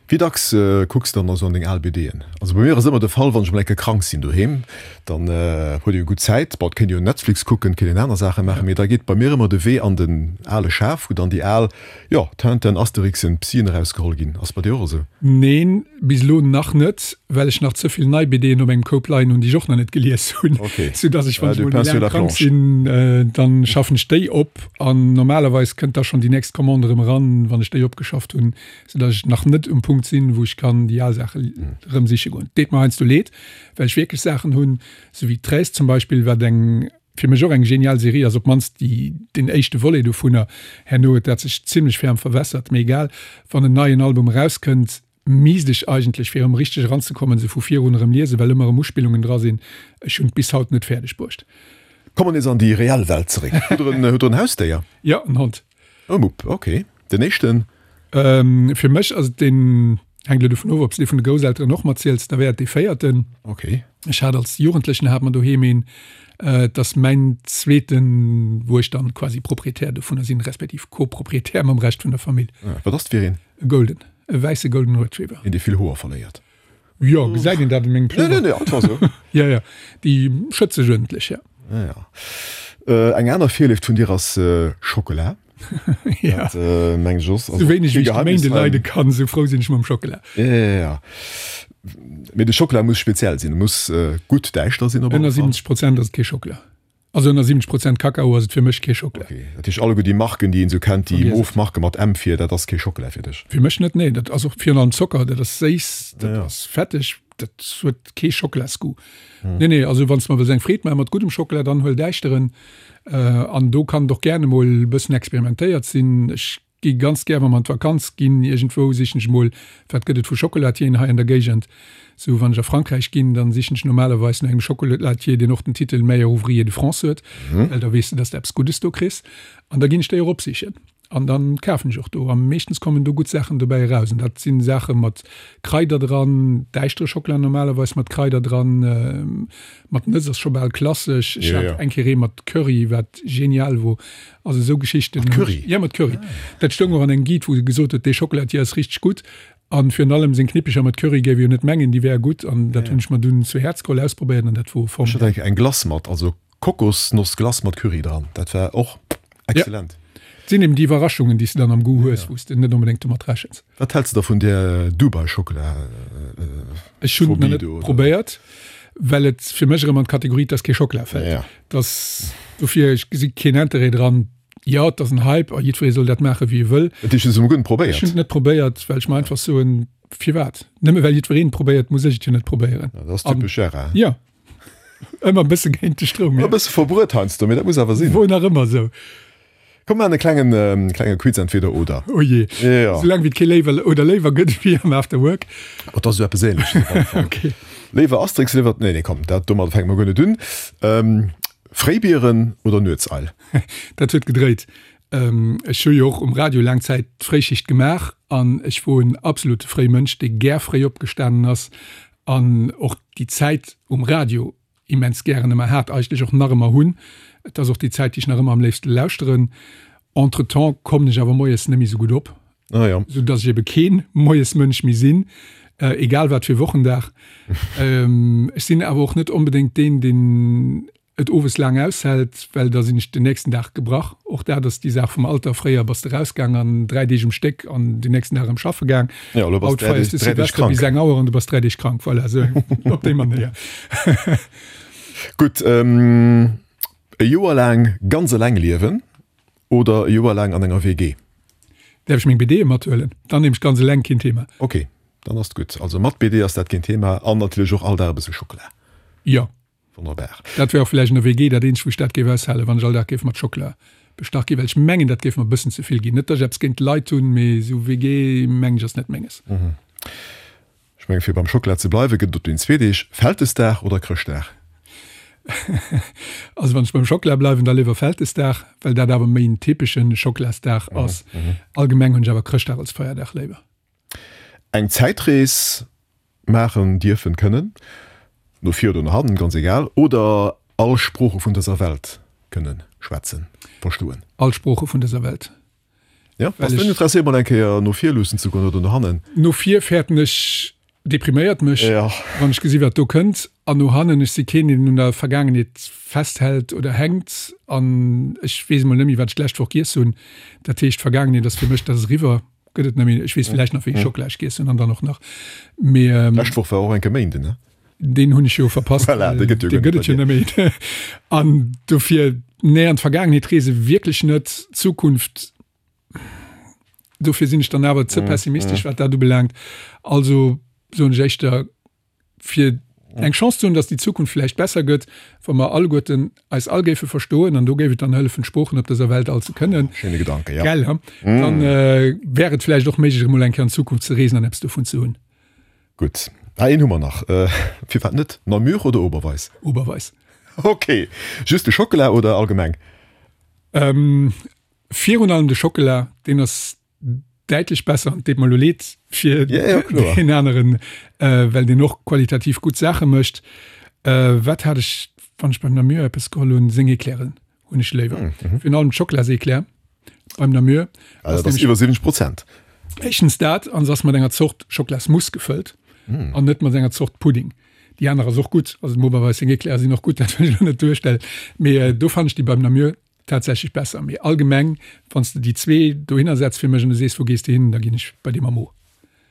S2: Wéi dacks kucks de dann esou an deng al B Dën? Also bei mir ass ëmmer de Fall, wann ech mol eng Kéier krank sinn doheem, dann huet ee jo gutt Zäit, bon et kéint ee jo Netflix kucken, et kéint een aner Saache maachen, mee da geet bei mir ëmmer de Wee an den ale Schaf, wou dann déi al, jo, Tintin, Asterixen, Psien erausgeholl ginn. Ass bei dir och esou?
S3: Neen, bis elo nach net, well ech nach ze vill nei B Dën op mengem Koup leien hunn, déi ech och nach net gelies hunn, soudass ech, wann ech mol méi laang krank sinn, dann schaffen ech déi op an normalerweis kënnt da schonn déi nächst Commande erëm eran, wann ech déi opgeschafft hunn. Soudass ech nach net um Punkt sinn, wou ech kann déi al Saache erëm siche goen. Deet mer heiansdo leed, well ech wierklech Saachen hunn, sou wéi Treize zum Beispill, wat eng fir mech och eng genial Serie ass, op d'mannst déi, deen éischte Volet dovunner. Herno huet dat sech zimlech ferm verwässert, mee egal. Wann en neien Album erauskënnt, misst ech eigentlech, fir erëm richteg eranzekommen, se vu virun erëm liesen, well ëmmer erëm Uspillungen dra sinn. Ech hunn et bis haut net fäerdeg bruecht.
S2: Komme mer nees an déi reell Welt zeréck. Hutt Der en, hutt Der en Hausdéier?
S3: Jo, en Hond.
S2: E Mupp, ok. Den éischten?
S3: Fir mech ass et deen, hänkt elo dovun of, ob s de dee vun de Grousselteren och matziels, da wär et dee véierten.
S2: Ok.
S3: Ech hat als Jugendlechen hat mer doheem een. Et ass mäin zweeten, wou ech dann quasi Proprietär dovunner sinn, respektiv Co-Proprietär mam Rescht vun der Famill.
S2: Wat ass et fir een?
S3: E Golden, e wäisse Golden Retriever.
S2: Een, dee vill Hoer verléiert.
S3: Jo, gesäit een dat un mengem
S2: Pullover? Nee, nee, nee, einfach esou.
S3: Jo, jo, déi schëtzt sech uerdentlech, jo.
S2: Ah ja. Eng aner Virléift vun dir ass Schockela.
S3: Ja.
S2: Dat mengen ech och.
S3: Sou wéineg wéi ech de Méinde leide kann, sou frou sinn ech mam Schockela.
S2: Ja, ja, ja. Mee de Schockela muss speziell sinn, e muss gutt däischter sinn op
S3: alle Fall. Ënner siwwenzeg Prozent ass et kee Schockela. Also ënner siwwenzeg Prozent Kakao ass et fir mech kee Schockela.
S2: Ok, dat heescht alleguer déi Marken, déi een esou kennt, déi mof Marke mat M vir, dat ass kee Schockela fir dech?
S3: Fir mech net, nee. Dat ass och virun allem Zocker, dat ass séiss, dat ass fetteg, dat huet kee Schockelasgoût. Nee, nee, also wann s de mer wëlls eng Freed maache mat guddem Schockela, dann huel däischteren. An do kann et och gären emol e bëssen experimentéiert sinn. Ech gi ganz gär, wa mer an d'Vakanz ginn iergendwou, sichen ech emol, wat gëtt et vu Chocolatieren hei an der Géigend. Sou, wann ech a Frankräich ginn, dann sichen ech normalerweis no engem Chocolatier, deen och den Titel Meilleur ouvrier de France huet, well da weess de, dass de eppes Guddes do kriss. An da ginn ech déi och opsichen. An dann kafen ech och do. A meeschtens kommen do gutt Saachen dobäi eraus. An dat si Saache mat Kraider dran, däischtere Schockela normalerweis mat Kraider dran, mat Nëss ass scho bal klassesch. Ech hat eng Kéier ee mat Curry, wat genial wor. Also esou Geschichten.
S2: Mat Curry?
S3: Jo, mat Curry. Dat stoung och an engem Guide, wou se gesot huet, dee Schockelatier ass richteg gutt. An virun allem seng Knippecher mat Curry géif ee jo net mengen, déi wäre gutt. An dat hunn ech mer dunn zu Häerz geholl, ausprobéiert an dat wor
S2: Ech hat eng formidabel. Kéier eng Glace mat, also Kokosnossglace mat Curry dran. Dat war och exzellent.
S3: Et sinn eben déi Iwwerraschungen, déi s de dann am Goût hues, wou s de net onbedéngt domat rechens.
S2: Wat häls de da vun där Dubai-Schockela-Phobie
S3: Ech hunn et nach net
S2: do, oder?
S3: probéiert, Well et fir mech erëm an d'Kategorie 't ass kee Schockela fält.
S2: Ja.
S3: Dass dofir, ech gesi keen Interêt dran. Jo, et ass en Hype a jiddweree soll dat maache wéi e wëll.
S2: Dat heescht, du hues et emol guer net probéiert?
S3: Ech hunn et net probéiert, well ech mer einfach soen, firwat? Nëmme well jiddwereen et probéiert, muss ech et jo net probéieren.
S2: Ja, dat ass typesch Gérard.
S3: Jo, ëmmer e bësse géint de Stroum,
S2: E
S3: jo.
S2: bësse verbruet heiansdo, mee dat muss awer sinn.
S3: Wor nach ëmmer esou.
S2: Komm, mir maachen e klengen, klenge Quiz, entweder oder.
S3: Oh jee.
S2: Jo.
S3: Soulaang wéi et kee Léiwer oder Léiwer gëtt wéi am After Work.
S2: Oh, dat ass esou eppes Ähnleches op alle Fall.
S3: Okay.
S2: Léiwer Asterix, léiwer, nee, nee, komm, dat, domadder fänke mer guer net un. Fréibieren oder Nuetseil?
S3: Dat huet gedréit. Ech hu jo och um Radio laang Zäit d'Fréischicht gemaach an ech wor en absolute Fréimënsch, dee gär fréi opgestanen ass an och déi Zäit um Radio immens gären ëmmer hat, eigentlech och nach ëmmer hunn. Et ass och déi Zäit, déi ech nach ëmmer am léifste lauschteren. Entretemps kommen ech awer moies net méi sou gutt op.
S2: Ah ja.
S3: Sou dass ech ebe keen Moiesmënsch méi sinn, egal wat fir Wochendag. Ech sinn awer och net onbedéngt deen, deen et owes laang aushält, well da sinn ech den nächsten Dag gebrach. Och dat ass déi Saach vum Alter, fréier bass de rausgaang an dräi Deeg um Stéck an den nächsten Dag erëm schaffe gaang.
S2: Ja, elo bass
S3: Haut
S2: dräi Deeg,
S3: feiers de
S2: dräi Deeg
S3: Silvester bis
S2: krank.
S3: eng Auer an du bass dräi Deeg krank. Voilà, esou op déi Manéier.
S2: Gutt, e Joer laang ganz eleng liewen oder e Joer laang an enger W G?
S3: Däerf ech meng B D mathuelen? Dann nehme ech ganz eleng, keen Thema.
S2: Ok, dann ass et gutt. Also mat B D ass dat keen Thema an natierlech och all Dag e bësse Schockela.
S3: Jo.
S2: Wonnerbar.
S3: Dat wär och vläicht an der W G dat eenzegt, wou ech dat géif aushalen, wann ech all Dag géif mat Schockela bestach ginn, well ech mengen, dat géif mer e bëssen ze vill ginn. Net, datt ech eppes géint d'Leit hunn, mee esou W G, mengen ech, ass net menges.
S2: Ech mengen, fir beim Schockela ze bleiwen, gëtt et op den zwee Deeg Vältesdag oder Chrëschtdag?
S3: Also wann ech beim Schockela bleiwen, da léiwer Vältesdag, well dat awer méi en typesche Schockelasdag ass. Allgemeng hunn ech awer Chrëschtdag als Feierdag léiwer.
S2: Eng Zäitrees maachen dierfen, kënnen, no vir oder no hannen, ganz egal, oder all Sprooche vun dëser Welt kënnen schwätzen, verstoen?
S3: All Sprooche vun dëser Welt.
S2: Ja,
S3: Well
S2: bass du
S3: ech.
S2: interesséiert mol eng Kéier no vir luussen ze goen oder no hannen?
S3: No vir fäerten ech, depriméiert mech,
S2: Ja.
S3: wann ech gesi wat do kënnt. An no hannen, ech si keen, deen un der Vergaangenheet festhält oder hänkt. An ech weess emol net méi, wat ech d'lescht Woch giess hunn. Dat heescht, d'Vergaangenheet ass fir mech, dat ass eriwwer, gëtt et net méi. Ech weess villäicht nach, wéi ech Schockela giess hunn an dann och nach. Mee.
S2: D'lescht Woch war och enke Méinden, ne?
S3: Deen hunn ech jo verpasst,
S2: Voilà, dee gëtt jo
S3: dee
S2: guer
S3: gëtt
S2: net
S3: et jo
S2: bei dir.
S3: net méi. An dofir, nee, an d'Vergaangenheet reese wierklech net. D'Zukunft, dofir sinn ech dann awer ze pessimistesch, wat dat ubelaangt. Also soen ech éischter, fir eng Chance ze hunn, datt déi Zukunft vläicht besser gëtt, wa mer alleguerten eis all géife verstoen, an do géif et dann hëllefen, d'Sproochen op dëser Welt all ze kënnen.
S2: Schéine Gedanke, ja.
S3: Gell, he? Dann wär et vläicht och méiglech, emol eng Kéier an d'Zukunft ze reesen an eppes dovun ze hunn.
S2: Gutt. Ah, een hu mer nach. Firwat net? Namur oder Oberweis?
S3: Oberweis.
S2: Ok. Just de Schockela oder allgemeng?
S3: Virun allem de Schockela, deen ass däitlech besser. An et deet mer elo leed fir deen aneren, well deen och qualitativ gutt Saache mécht. Wat hat ech, wann ech beim Namur eppes geholl hunn? Seng Eclairen hunn ech léiwer. Virun allem d'Schockelaseclair beim Namur.
S2: Also dat ass iwwer siwwenzeg Prozent.
S3: Éischtens dat, an se ass mat enger Zort Schocklasmousse gefëllt an net mat enger Zort Pudding. Déi aner ass och gutt, also dem Oberweis seng Eclairen sinn och gutt, dat wëll ech elo net duerstellen, mee do fannen ech déi beim Namur tatsächlech besser. Mee allgemeng, wann s de déi zwee dohinner setz fir mech an du sees, wou gees de hin, da ginn ech bei dee mam O.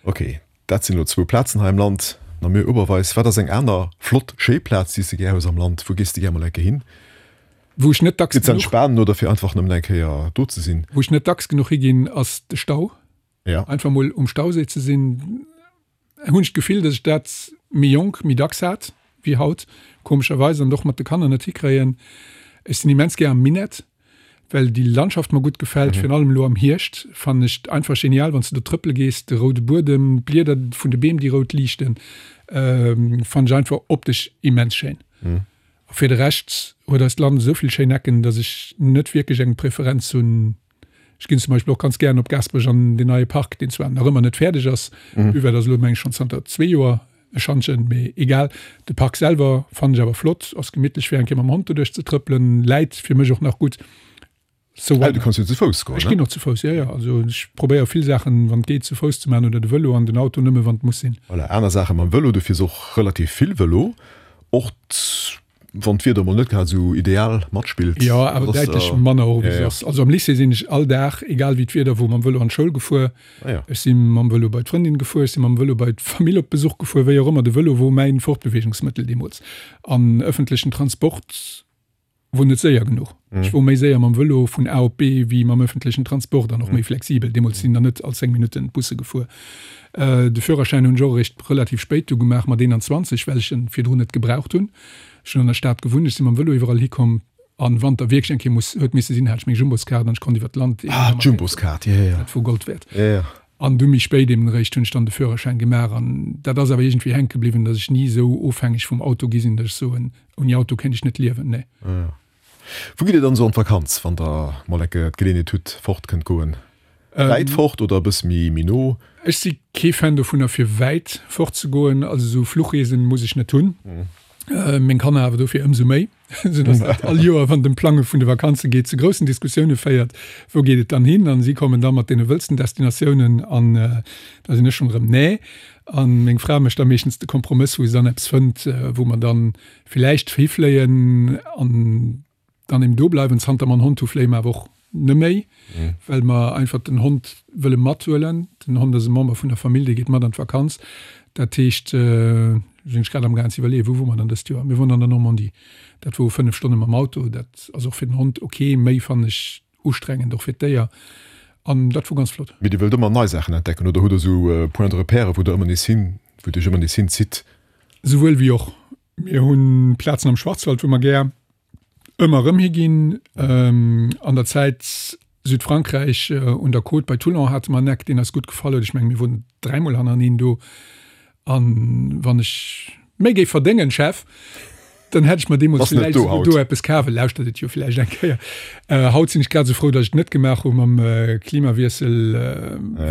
S2: Ok, dat sinn elo zwou Plazen hei am Land, Namur, Oberweis. Wat ass eng aner flott, schéi Plaz, déi s de gär hues am Land? Wou gees de gär mol eng Kéier hin?
S3: Wou ech net dacks
S2: Fir ze
S3: genuch.
S2: entspanen oder fir einfach nëmmen eng Kéier do ze sinn?
S3: Wou ech net dacks genuch higinn, ass de Stau.
S2: Ja.
S3: Einfach mol um Stauséi ze sinn, hunn ech d'Gefill, datt ech dat méi jonk méi dacks hat wéi haut, komescherweis, an och mat de Kanner net hikréien. Ech sinn immens gär am Minett, well déi Landschaft mer gutt gefält, virun allem elo am Hierscht fannen ech et einfach genial, wann s de do trëppele gees, de roude Buedem, d'Blieder vun de Beem, déi rout liichten, fannen ech einfach optesch immens schéin. A fir de Rescht huet eist Land esou vill schéin Ecken, datt ech net wierklech eng Preferenz hunn. Ech ginn zum Beispill och ganz gären op Gaasperech an deen neie Park, deen zwar nach ëmmer net fäerdeg ass, d'Buvette ass elo meng ech schonn zanter zwee Joer e Schantjen, mee egal. De Park selwer fannen ech awer flott, ass gemittlech fir eng Kéier mam Hond doduerch ze trëppelen, läit fir mech och nach gutt. So why
S2: Ah, du
S3: not?
S2: kanns jo zu Fouss goen,
S3: Ech
S2: ne?
S3: ginn och zu Fouss, jo, jo. Also ech probéiere vill Saachen, wann et geet, zu Fouss ze maachen oder de Vëlo an den Auto nëmme wann et muss sinn.
S2: Voilà, aner Saache mam Vëlo, du fiers och relativ vill Vëlo, och Wann d'Wieder mol net grad esou ideal matspillt.
S3: Jo, awer däitlech manner och wéi soss. Also am Lycée sinn ech all Dag, egal wéi d'Wieder wor, mam Vëlo an d'Schoul gefuer. Ech si mam Vëlo bei d'Frëndin gefuer, ech si mam Vëlo bei d'Famill op Besuch gefuer, wéi och ëmmer. De Vëlo wor mäin Fortbeweegungsmëttel deemools. An ëffentlechen Transport wor net séier genuch. Ech wor méi séier mam Vëlo vun A op B wéi mam ëffentlechen Transport an och méi flexibel. Deemools sinn der net all zéng Minutten d'Busse gefuer. De Führerschäin hunn ech och eréischt relativ spéit du gemaach, mat eenanzwanzeg, well ech en virdrun net gebraucht hunn. Ech hunn an der Stad gewunnt, ech si mam Vëlo iwwerall hikomm an wann da wierklech eng Kéier muss, huet misse sinn, hat ech meng Jumboskaart an ech konnt iwwer d'Land.
S2: Ah, d'Jumboskaart, jo, jo, jo.
S3: Dat wor Gold wäert.
S2: Jo, jo.
S3: An du méi spéit eben eréischt hunn ech dann de Führerschäin gemaach an dat ass awer iergendwéi hänke bliwwen, datt ech ni esou ofhängeg vum Auto gi sinn, datt ech soen, ouni Auto kéint ech net liewen, nee.
S2: Jo. Wou gitt Dir dann esou an d'Vakanz, wann Der mol enke d'Geleeënheet hutt, fort kënnt goen? Wäit fort oder e bësse méi méi no?
S3: Ech si kee Fan dovunner fir wäit fort ze goen, also esou Fluchreesen muss ech net hunn. Meng Kanner awer dofir ëmsou méi, esou datt dat all Joer, wann et ëm d'Plange vun de Vakanze geet, zu groussen Diskussioune féiert, wou geet et dann hin? An si kommen da mat deene wëllsten Destinatiounen an da sinn ech schonn erëm nee. A meng Fra mécht da meeschtens de Kompromëss, wou se dann eppes fënnt, wou mer dann villäicht hifléien an dann eben do bleiwen. Zanter mer en Hond hu fléie mer awer och neméi, well mer einfach den Hond wëlle mathuelen. Den Hond ass e Member vun der Famill, dee geet mat an d'Vakanz. Dat heescht, sinn ech grad amgaang ze iwwerleeën, wou wor mer dann dëst Joer? Mir woren an der Normandie. Dat wor fënnef Stonne mam Auto. Dat ass och fir den Hond ok, méi fannen ech ustrengend, och fir d'Déier. An dat wor ganz flott.
S2: Mee Dir wëllt ëmmer nei Saachen entdecken oder hutt Der esou Points de repère, wou Der ëmmer nees hin, wou et Iech ëmmer nees hinzitt?
S3: Souwuel wéi och. Mir hu Plazen am Schwarzwald, wou mer gär ëmmer erëm higinn. An der Zäit Südfrankräich un der Côte bei Toulon hate mer en Eck, deen eis gutt gefall huet. Ech mengen, mir woren dräimol hannereneen do. An wann ech méi géif verdéngen, Chef, dann hätt ech mer deemools villäicht esouguer do eppes kaf. E lauschtert et jo villäicht eng Kéier. Haut sinn ech grad esou frou, datt ech et net gemaach hu mam Klimawiessel,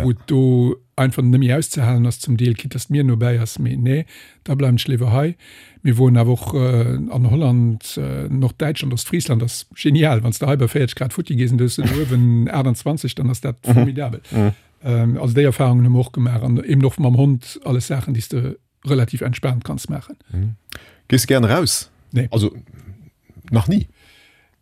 S3: wou et do einfach net méi auszehalen ass zum Deel, quitte datt d'Mier nobäi ass. Mee nee, da bleiwen ech léiwer hei. Mir woren awer och an Holland, Norddäitschland, Ostfriesland ass genial. Wann s de hei bei véierzeg Grad futti gees an du hues do uewen aachtanzwanzeg, dann ass dat formidabel. Also déi Erfahrungen hu mer och gemaach an eben och mam Hond, alles Saachen, déi s de relativ entspaant kanns maachen.
S2: Gees de gären eraus?
S3: Nee.
S2: Also nach ni?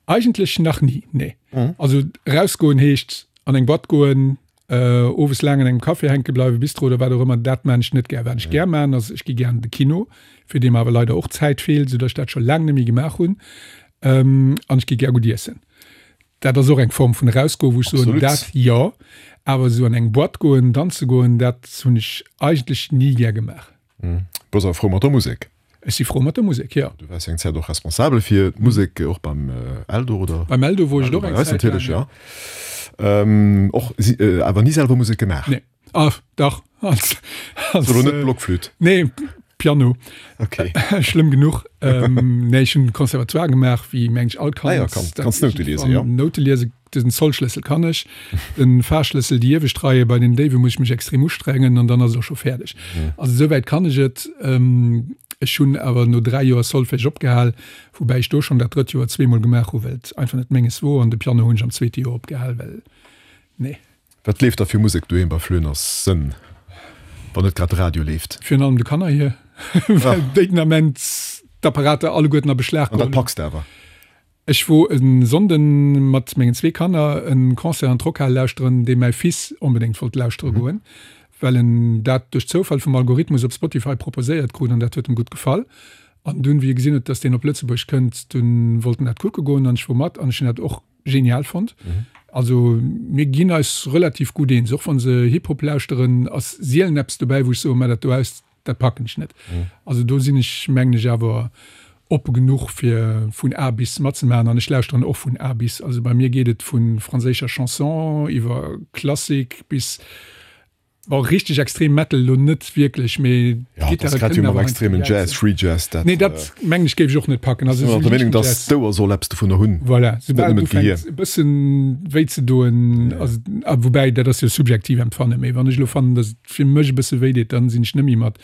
S3: Eigentlech nach ni, nee. Also erausgoen heescht an eng Boîte goen, owes laang an engem Café hänke bleiwen, Bistro oder wat och ëmmer, dat maan ech net gär. Wat ech gär maan ass, ech gi gär an de Kino, fir dee mer awer leider och d'Zäit feelt, soudatt ech dat scho laang net méi gemaach hunn. An ech gi gär gutt iessen. Dat ass och eng Form vun erausgoen, wou ech soen, dat jo. Awer esou an eng Boîte goen, danze goen, dat hunn ech eigentlech ni gär gemaach.
S2: Bass awer frou mat der Musek?
S3: Ech si frou mat der Musek, jo.
S2: Du waars jo eng Zäit och responsabel fir d'Musek, och beim Eldo, oder?
S3: Beim Eldo wor ech et och eng Zäit laang,
S2: jo. Och awer ni selwer Musek gemaach?
S3: Nee. Ah, dach. Als,
S2: als, Ass elo net Blockflütt?
S3: Nee, Piano.
S2: Okay.
S3: Schlëmm genuch. Nee, ech hunn Conservatoire gemaach, wéi meng ech all Kand.
S2: Ah ja, kann, kanns Noute liesen, jo.
S3: Noute liesen, den Zollschlëssel kann ech. Den Fahrschlëssel, déi iewescht Reie bei den Déiwe muss ech mech extrem ustrengen an dann ass et och scho fäerdeg. Also esouwäit kann ech et. Ech hunn awer no dräi Joer Solfège opgehal, woubäi ech do schonn dat drëtt Joer zweemol gemaach hu well et einfach net menges wor an de Piano hunn ech am zweete Joer opgehal, well nee.
S2: Wat leeft da fir Musek doheem bei Flöners Sënn, wann net grad de Radio leeft?
S3: Virun allem de Kanner hir, well déi den Ament d'Apparater alleguerten a Beschlag
S2: An dat
S3: geholl hunn.
S2: packs de awer?
S3: Ech wor e Sonnden mat mengen zwee Kanner en Concert an d'Rockhal lauschteren, dee mäi Fils onbedéngt wollt lauschtere goen, well en dat duerch Zoufall vum Algorithmus op Spotify proposéiert krut an dat huet em gutt gefall. An dunn, wéi e gesinn huet, dass deen op Lëtzebuerg kënnt, dunn wollt en dat kucke goen an ech wor mat an ech hunn dat och genial fonnt. Also mir ginn eis relativ gutt eens, och wann se Hip-Hop lauschteren, ass sielen eppes dobäi, wou ech soen, Mä dat do aus, dat packen ech net. Also do sinn ech, mengen ech, awer oppe genuch fir vun A bis matzemaachen an ech lauschteren och vun A bis. Also bei mir geet et vu franséischer Chanson iwwer Klassik bis, bon richteg extrem Metal elo net wierklech, mee
S2: Ja, et ass
S3: d'Gittare
S2: grad wéi
S3: kënnen
S2: mam
S3: awer heiansdo
S2: extremen
S3: geil
S2: Jazz,
S3: sinn.
S2: Free Jazz, dat
S3: Nee, dat mengen ech géif ech och net packen. Also
S2: sinn
S3: esou
S2: der Meenung,
S3: liichten
S2: dass
S3: Jazz.
S2: d'Ouer soll eppes dovunner hunn,
S3: Voilà,
S2: net
S3: soubal et
S2: nëmmen d'Gehir.
S3: ufänkt e bëssen wéi ze doen, also a woubäi dat ass jo subjektiv Empfannen, mee wann ech elo fannen, dass et fir mech e bësse wéi deet, dann sinn ech net méi mat.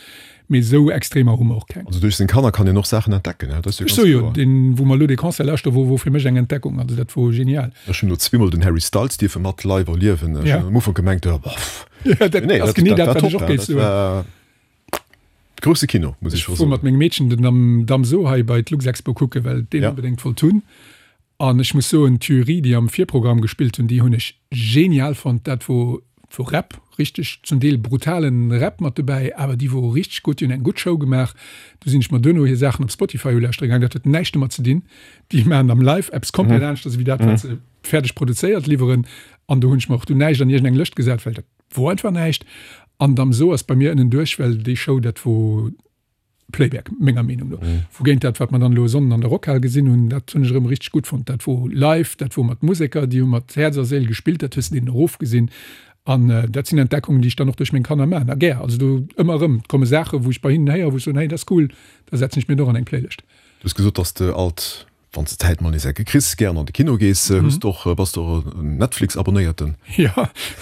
S3: Mee esou Extremer hu mer och keng.
S2: Also duerch seng Kanner kann een och Saachen entdecken, dat ass jo
S3: Ech
S2: ganz
S3: soe jo,
S2: kloer.
S3: deen, wou mer elo dee Concert lauschteren, wor, wor fir mech eng Entdeckung. Also dat wor genial.
S2: Ech hunn elo zweemol den Harry Styles dierfe mat live erliewen. Ech
S3: Ja.
S2: hunn am Ufank gemengt, jo, boff.
S3: Ja, dat
S2: Mee nee,
S3: ass
S2: dat,
S3: genee
S2: dat
S3: dat,
S2: war
S3: wat ech
S2: top,
S3: och géif
S2: dat
S3: soen.
S2: war Grousse Kino, muss ech
S3: scho soen. Ech wor mat mengem Meedchen den Damso hei bei d'Luxexpo kucken, well deen onbedéngt wollt hunn. An ech muss soen, d'Jury, déi am Virprogramm gespillt hunn, déi hunn ech genial fonnt. Dat wor wor Rap, richteg zum Deel brutalen Rap mat dobäi, awer déi wore richteg gutt, déi hunn eng gutt Show gemaach. Du sinn ech mer duerno hir Saachen op Spotify ulauschtere gaang, dat huet näischt domat ze dinn. Déi maachen am Live eppes komplett aneschters ewéi dat, wat se fäerdeg produzéiert liwweren. An do hunn ech mer och du näischt an iergendeng Lëscht gesat, well dat wor einfach näischt. An Damso ass bei mir ënnenduerch, well déi Show, dat wor Playback, menger Meenung no. Wougéint dat, wat mer dann elo e Sonnden an der Rockhal gesinn hunn, dat hunn ech erëm richteg gutt fonnt. Dat wor live, dat wor mat Museker, déi hu mat Häerz a Séil gespillt, dat hues de deenen erofgesinn. An dat sinn Entdeckungen, déi ech dann och duerch meng Kanner maachen, a gär. Also do ëmmer erëm, et komme Saachen, wou ech bei hinnen héieren, wou ech soen, hey, dat ass cool, da setzen ech mir et och an eng Playlëscht.
S2: Du hues gesot, dass de alt Wann s de Zäit mol nees ecke kriss, gären an de Kino gees. Hues de och, bass de och en Netflix-Abonnéierten?
S3: Jo,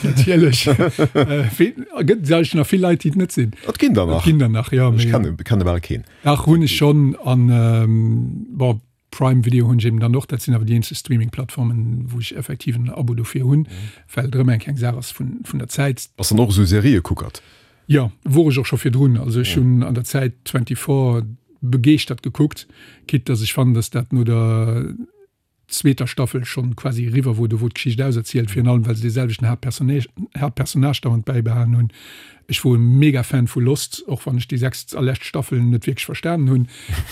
S3: natierlech. Gëtt et eigentlech nach vill Leit, déi et net sinn?
S2: Et ginn der nach.
S3: Et ginn der nach, jo.
S2: Ech kenne, kenne bal keen.
S3: Dach, hunn ech schonn. An, bon, Prime Video hunn ech eben dann och. Dat sinn awer déi eenzeg Streaming-Plattformen, wou ech effektiv en Abo dofir hunn, well et erëm eng kleng Saach ass vun, vun der Zäit.
S2: Bass dann och esou Seriëkuckert?
S3: Jo, wor ech och scho virdrun. Also ech hunn an der Zäit twenty-four begeeschtert gekuckt, quitte dass ech fannen, dass dat no der zweeter Staffel schonn quasi eriwwer wor, do wor d'Geschicht auserzielt, virun allem well se dee selwechten Haaptpersonnage dauernd bäibehalen hunn. Ech wor e mega Fan vu Lost, och wann ech déi sechst a lescht Staffel net wierklech verstanen hunn,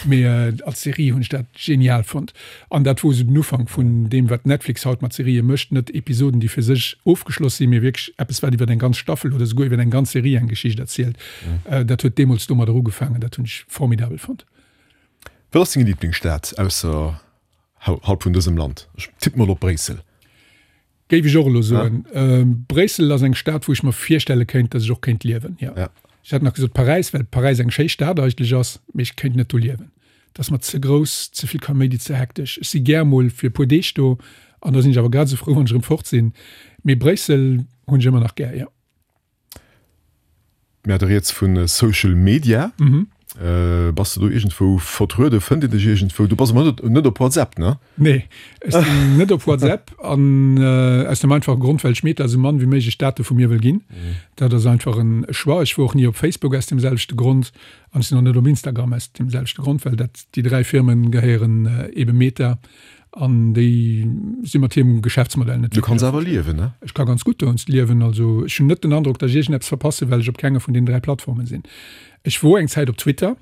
S3: mee als Serie hunn ech dat genial fonnt. An dat wor esou den Ufank vun deem wat Netflix haut mat Serië mécht, net Episoden déi fir sech ofgeschloss sinn, mee wierklech eppes wat iwwer eng ganz Staffel oder souguer iwwer eng ganz Serie eng Geschicht erzielt. Dat huet deemools domadder ugefaangen, dat hunn ech formidabel fonnt.
S2: Wat ass deng Liblingsstad ausserhalb vun dësem Land? Ech tippen mol op Bréissel.
S3: Géif ech och elo soen. Bréissel ass eng Stad, wou ech mer virstelle kéint, datt ech och kéint liewen, jo. Ech hätt nach gesot Paräis, well Paräis eng schéi Stad eigentlech ass, mee ech kéint net do liewen. Et ass mer ze grouss, ze vill Kaméidi, ze hektesch. Ech si gär mol fir e puer Deeg do an da sinn ech awer grad esou frou, wann ech erëm fort sinn. Mee Bréissel hunn ech ëmmer nach gär, jo.
S2: Mir hate rieds vu Social Media. Bass de do iergendwou vertrueden? Fënnt een dech iergendwou? Du bass awer net op WhatsApp, ne?
S3: Nee, ech sinn net op WhatsApp an aus dem einfache Grond, well ech Meta esou mann wéi méiglech Date vu mir wëll ginn. Dat ass einfach en Choix. Ech wor och ni op Facebook aus deem selwechte Grond an ech sinn och net op Instagram aus deem selwechte Grond, well dat déi dräi Firmen gehéieren ebe Meta. An déi si mat hirem Geschäftsmodell net
S2: Du kanns awer liewen, ne?
S3: Ech ka ganz gutt dowéinst liewen. Also ech hunn net den Androck, datt ech iergendeppes verpassen, well ech op kenger vun deenen dräi Plattformen sinn. Ech wor eng Zäit op Twitter,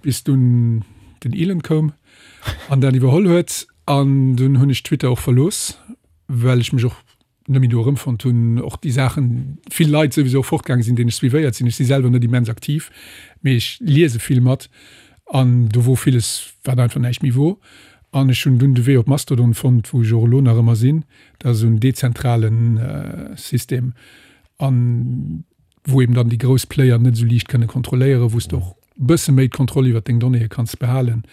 S3: bis dunn den Elon koum an dat iwwerholl huet. An dunn hunn ech Twitter och verlooss, well ech mech och net méi do erëmfonnt hunn. Och déi Saachen, vill Leit souwisou och fortgaange sinn, deenen ech suivéiert sinn. Ech si selwer net immens aktiv, mee ech liese vill mat. An do wor villes, wat einfach näischt méi wor. An ech hunn dunn de Wee op Mastodon fonnt, wou ech och elo nach ëmmer sinn. Dat ass esou en dezentrale System an wou eben dann déi grouss Player net esou liicht kënne kontrolléieren, wou s de och e bësse méi d'Kontroll iwwer deng Donnéeë kanns behalen.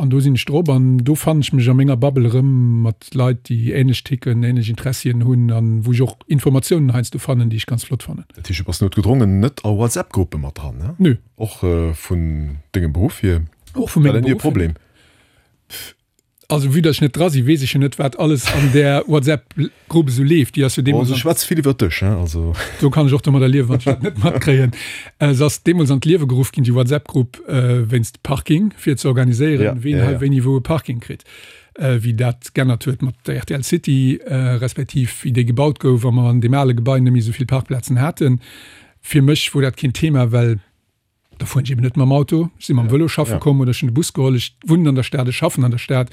S3: An do sinn ech drop an do fannen ech mech a menger Bubble erëm mat Leit, déi änlech ticken, änlech Interessien hunn an wou ech och Informatiounen heiansdo fannen, déi ech ganz flott fannen.
S2: Dat heescht, du bass noutgedrongen net a WhatsApp-Gruppe mat dran, ne?
S3: Nö.
S2: Och vun dengem Beruff hier?
S3: Och vu mengem Beruff hier.
S2: War dat ni e Problem?
S3: Also vue dass ech net dra sinn, weess ech jo net, wat alles an där WhatsApp-Grupp esou leeft. Déi ass jo deemools.
S2: Bon, se schwätzt vill iwwer dech, hein, also.
S3: Do kann ech och domadder liewen, wann ech dat net matkréien. Se ass deemools an d'Liewe geruff ginn, déi WhatsApp-Grupp, wéinst Parking, fir ze organiséieren, ween hei wéini wou e Parking kritt. Wéi dat g'ännert huet mat der rtl City, respektiv wéi déi gebaut gouf a mer an deem ale Gebai net méi esou vill Parkplazen haten. Fir mech wor dat keen Thema, well. Da fueren ech eben net mam Auto, ech si mam Vëlo schaffe komm oder ech hunn de Bus geholl. Ech wunnen an der Stad, ech schaffen an der Stad.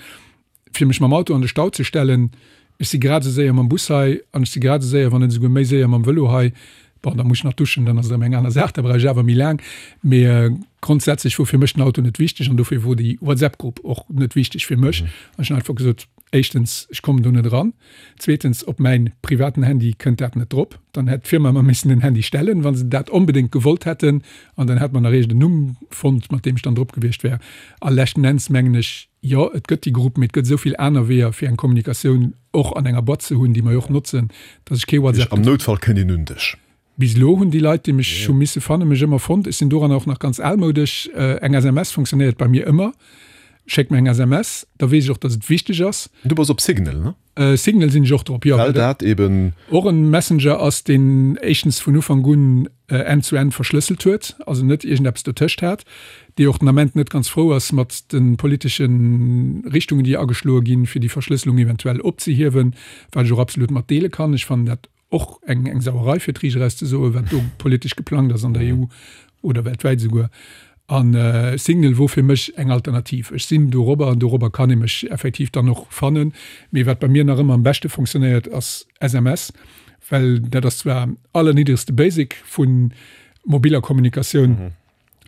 S3: Fir mech mam Auto an de Stau ze stellen, ech si grad esou séier mam Bus hei an ech si grad esou séier, wann net esouguer méi séier mam Vëlo hei. Bon, da muss ech nach duschen, dann ass et erëm eng aner Saach, da brauch ech awer méi laang. Mee grondsätzlech wor fir mech den Auto net wichteg an dofir wor déi WhatsApp-Grupp och net wichteg fir mech. An ech hunn einfach gesot, Éischtens, ech kommen do net eran. Zweetens, op mäin privaten Handy kënnt dat net drop. Dann hätt d'Firma mer missen en Handy stellen, wa se dat onbedéngt gewollt hätten. An dann hätt mer nach iergend en Numm fonnt, mat deem ech dann drop gewiescht wär. A leschten Enns mengen ech, jo, et gëtt déi Grupp, mee et gëtt esou vill aner Weeër, fir eng Kommunikatioun och an enger Boîte ze hunn, déi mer jo och notzen, dass ech kee WhatsApp.
S2: Am Noutfall kënnt een un dech.
S3: Bis elo hunn déi Leit, déi mech hu misse fannen, mech ëmmer fonnt. Ech sinn doranner och nach ganz almoudesch. Eng S M S funktionéiert bei mir ëmmer. Schéck mer eng S M S, da weess ech och, dass et wichteg ass.
S2: Du bass op Signal, ne?
S3: Signal sinn ech och drop, jo.
S2: Well dat eben.
S3: Och en Messenger ass, deen éischtens vun Ufank un end-zu-end verschlësselt huet, also net iergendeppes dotëscht hat, dee och den Ament net ganz frou ass mat de politesche Richtungen, déi ageschloe ginn, fir déi Verschlësselung eventuell opzehiewen, wat ech och absolut mat deele kann. Ech fannen dat och eng eng Sauerei, fir d'Riicht eraus ze soen, wat do politesch geplangt ass an der E U oder weltwäit esouguer. An Signal wor fir mech eng Alternativ. Ech sinn dorobber an dorobber kann ee mech effektiv dann och fannen. Mee wat bei mir nach ëmmer am beschte fonctionnéiert, ass S M S, well dat ass zwar allerniddregste Basic vu mobiller Kommunikatioun,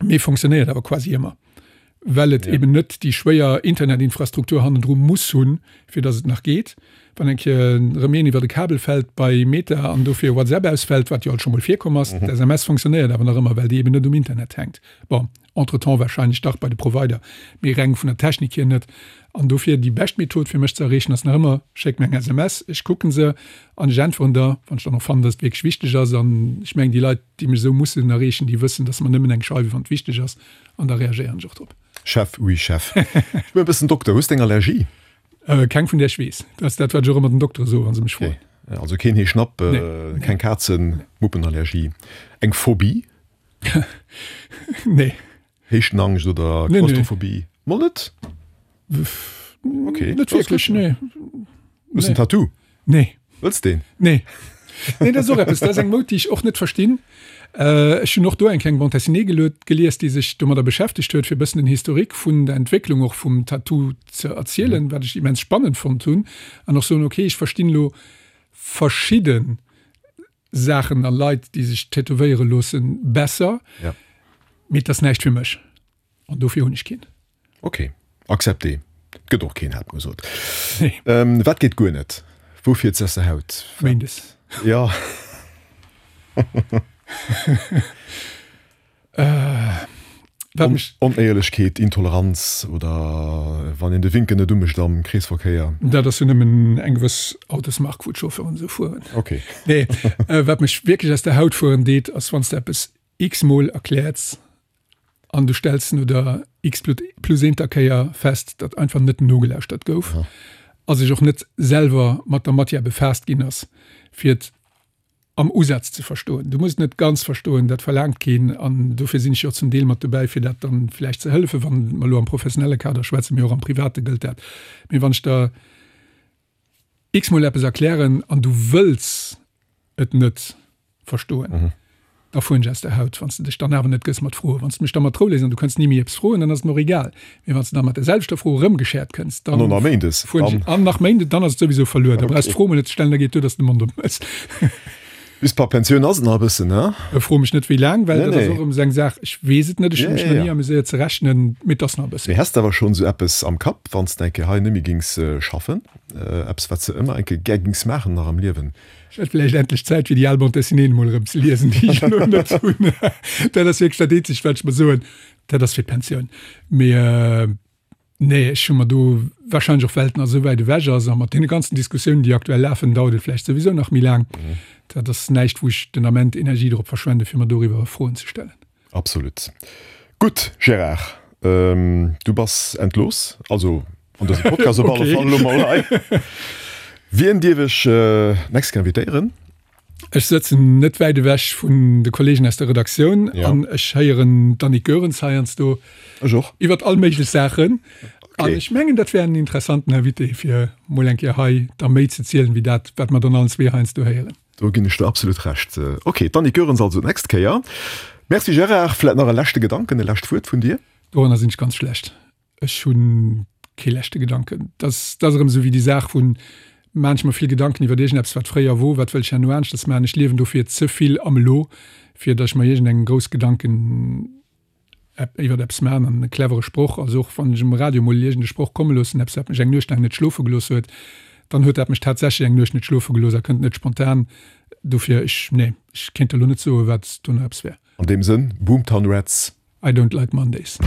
S3: mee fonctionnéiert awer quasi ëmmer, well et eben net déi schwéier Internetinfrastruktur hannendru muss hunn, fir datt et nach geet. Wann eng Kéier erëm een iwwer e Kabel fält bei Meta an dofir WhatsApp ausfält, wat jo alt scho mol virkomm ass, d'S M S fonctionnéiert awer nach ëmmer, well déi eben net um Internet hänkt. Bon, entretemps wahrscheinlech dach bei de Provider, mee reng vun der Technik hier net. An dofir déi bescht Method fir mech ze erreechen ass nach ëmmer, schéck mir eng S M S, ech kucken se an ech äntweren der, wann ech dann och fannen, datt et wierklech wichteg ass. An ech mengen, déi Leit, déi mech esou mussen erreechen, déi wëssen, datt se mer nëmmen eng schreiwen, wann et wichteg ass, an da reagéieren ech och drop.
S2: Chef, oui Chef. Ech bin e bëssen Dokter. Hues de eng Allergie?
S3: Keng vun där ech weess. Dat ass dat, wat ech och ëmmer den Doktere soen, wa se mech froen.
S2: Okay. Also keen Heeschnapp,
S3: Nee.
S2: keng Kazen, Muppenallergie. Eng Phobie?
S3: Nee.
S2: Héichtenangscht oder
S3: Nee, nee.
S2: Klaustrophobie? Mol net? Okay.
S3: Net wierklech, nee.
S2: Hues en Tattoo?
S3: Nee.
S2: Wëlls deen?
S3: Nee. Nee, dat ass och eppes, dat ass eng Moud, déi ech och net verstinn. Ech hunn och do eng kleng Bande dessinée gelies, déi sech domadder beschäftegt huet, fir e bëssen den Historique vun der Entwécklung och vum Tattoo ze erzielen, wat ech immens spannend fonnt hunn. An och soen, okay, ech verstinn elo verschidde Saachen a Leit, déi sech tätowéiere loossen, besser,
S2: Ja.
S3: mee et ass näischt fir mech. An dofir hunn ech keen.
S2: Okay, accepté. Et gëtt och keen, hat mer gesot.
S3: Nee.
S2: Ähm, wat geet guer net? Wou fiert se aus der Haut?
S3: Méindes.
S2: Ja.
S3: Wat mech.
S2: Onéierlechkeet, Intoleranz oder wann een de Winken net umécht am Kreesverkéier.
S3: Dat ass jo nëmmen eng gewëss Autosmark, wou d'Chauffeuren esou fueren.
S2: Okay.
S3: Nee, wat mech wierklech aus der Haut fueren deet, ass wann s de eppes x-mol erkläerts an du stells no der x plus eenter Kéier fest, datt einfach net nogelauschtert gouf a sech och net selwer mat der Matière befaasst ginn ass, fir et am Usaz ze verstoen. Du muss et net ganz verstoen, dat verlaangt keen an dofir sinn ech jo och zum Deel mat dobäi, fir dat dann vläicht ze hëllefen, wann mer elo am professionelle Kader schwätzen, mee och am private gëllt dat. Mee wann ech der x-mol eppes erklären an du wëlls et net verstoen, da fueren ech aus der Haut, wann s de dech dann awer net gëss mat Froen. Wann s de mech da mat Rou léiss an du kënns ni méi eppes froen, dann ass et mer och egal. Mee wann s de da mat der selwechter Fro erëmgeschäert kënns, dann
S2: An och nach méindes,
S3: fueren ech,
S2: dann.
S3: an nach méindes, dann ass et souwisou verluer. Da brauchs d'Fro mol net ze stellen, da geet duer, dass s de de Mond opméchs.
S2: Bis par Pensioun ass et nach e bëssen, ne?
S3: Fro mech net wéi laang, well
S2: Nee,
S3: dat ass
S2: nee.
S3: och erëm esou eng Saach, ech weess et net, ech hu mech nach ni amuséiert ze rechnen, mee et ass nach e bëssen.
S2: Mee häss de awer schonn esou eppes am Kapp, wann s de eng Kéier hei net méi gings schaffen, eppes wat s de ëmmer eng Kéier gär gings maachen nach am Liewen?
S3: Ech hätt vläicht endlech Zäit fir déi al Bande dessinée emol erëm ze liesen, déi ech elo net hunn. Dat ass wierklech dat eenzegt wat ech mer soen, dat ass fir d'Pensioun. Mee nee, ech hu mer do, wahrscheinlech och well et nach esou wäit ewech ass a mat deene ganzen Diskussiounen, déi aktuell lafen, dauert et vläicht souwisou nach méi laang. Dat ass näischt, wou ech den Ament Energie drop verschwende fir mer doriwwer Froen ze stellen.
S2: Absolut. Gutt, Gérard, du bass entlooss, also an dësem Podcast op alle Fall elo mol hei. Wien dierf ech d'nächst Kéier invitéieren?
S3: Ech sëtzen net wäit ewech vun de Kollegen aus der Redaktioun an ech héieren d'Annick Goerens heiansdo
S2: Ech och.
S3: iwwert all méiglech Saachen. An ech mengen, dat wär en interessanten Invité, fir mol eng Kéier hei da méi ze zielen, wéi dat, wat mer dann allen zwee heiansdo héieren.
S2: Do ginn ech der absolut Recht. Ok, d'Annick Goerens also d'nächst Kéier. Merci Gérard. Vläit nach e leschte Gedanken, e lescht Wuert vun dir?
S3: Doranner sinn ech ganz schlecht. Ech hu kee leschte Gedanken. Dat ass erëm esou wéi déi Saach vun, maan ech mer vill Gedanken iwwer iergendeppes, wat fréier wor, wat wëll ech herno aneschters maachen. Ech liewen dofir ze vill am Elo, fir datt ech mer iergendeng grouss Gedanken iwwer eppes maan. An e clevere Sproch, also och wann ech um Radio mol iergende Sproch komme loossen, eppes wat mech eng Nuecht laang net schlofe gelooss huet, dann huet dat mech tatsächlech eng Nuecht net schlofe gelooss a kënnt net spontan. Dofir, ech, nee, ech kéint elo net soen, wat do nach eppes wär.
S2: An deem Sënn, Boomtown Rats.
S3: I don't like Mondays.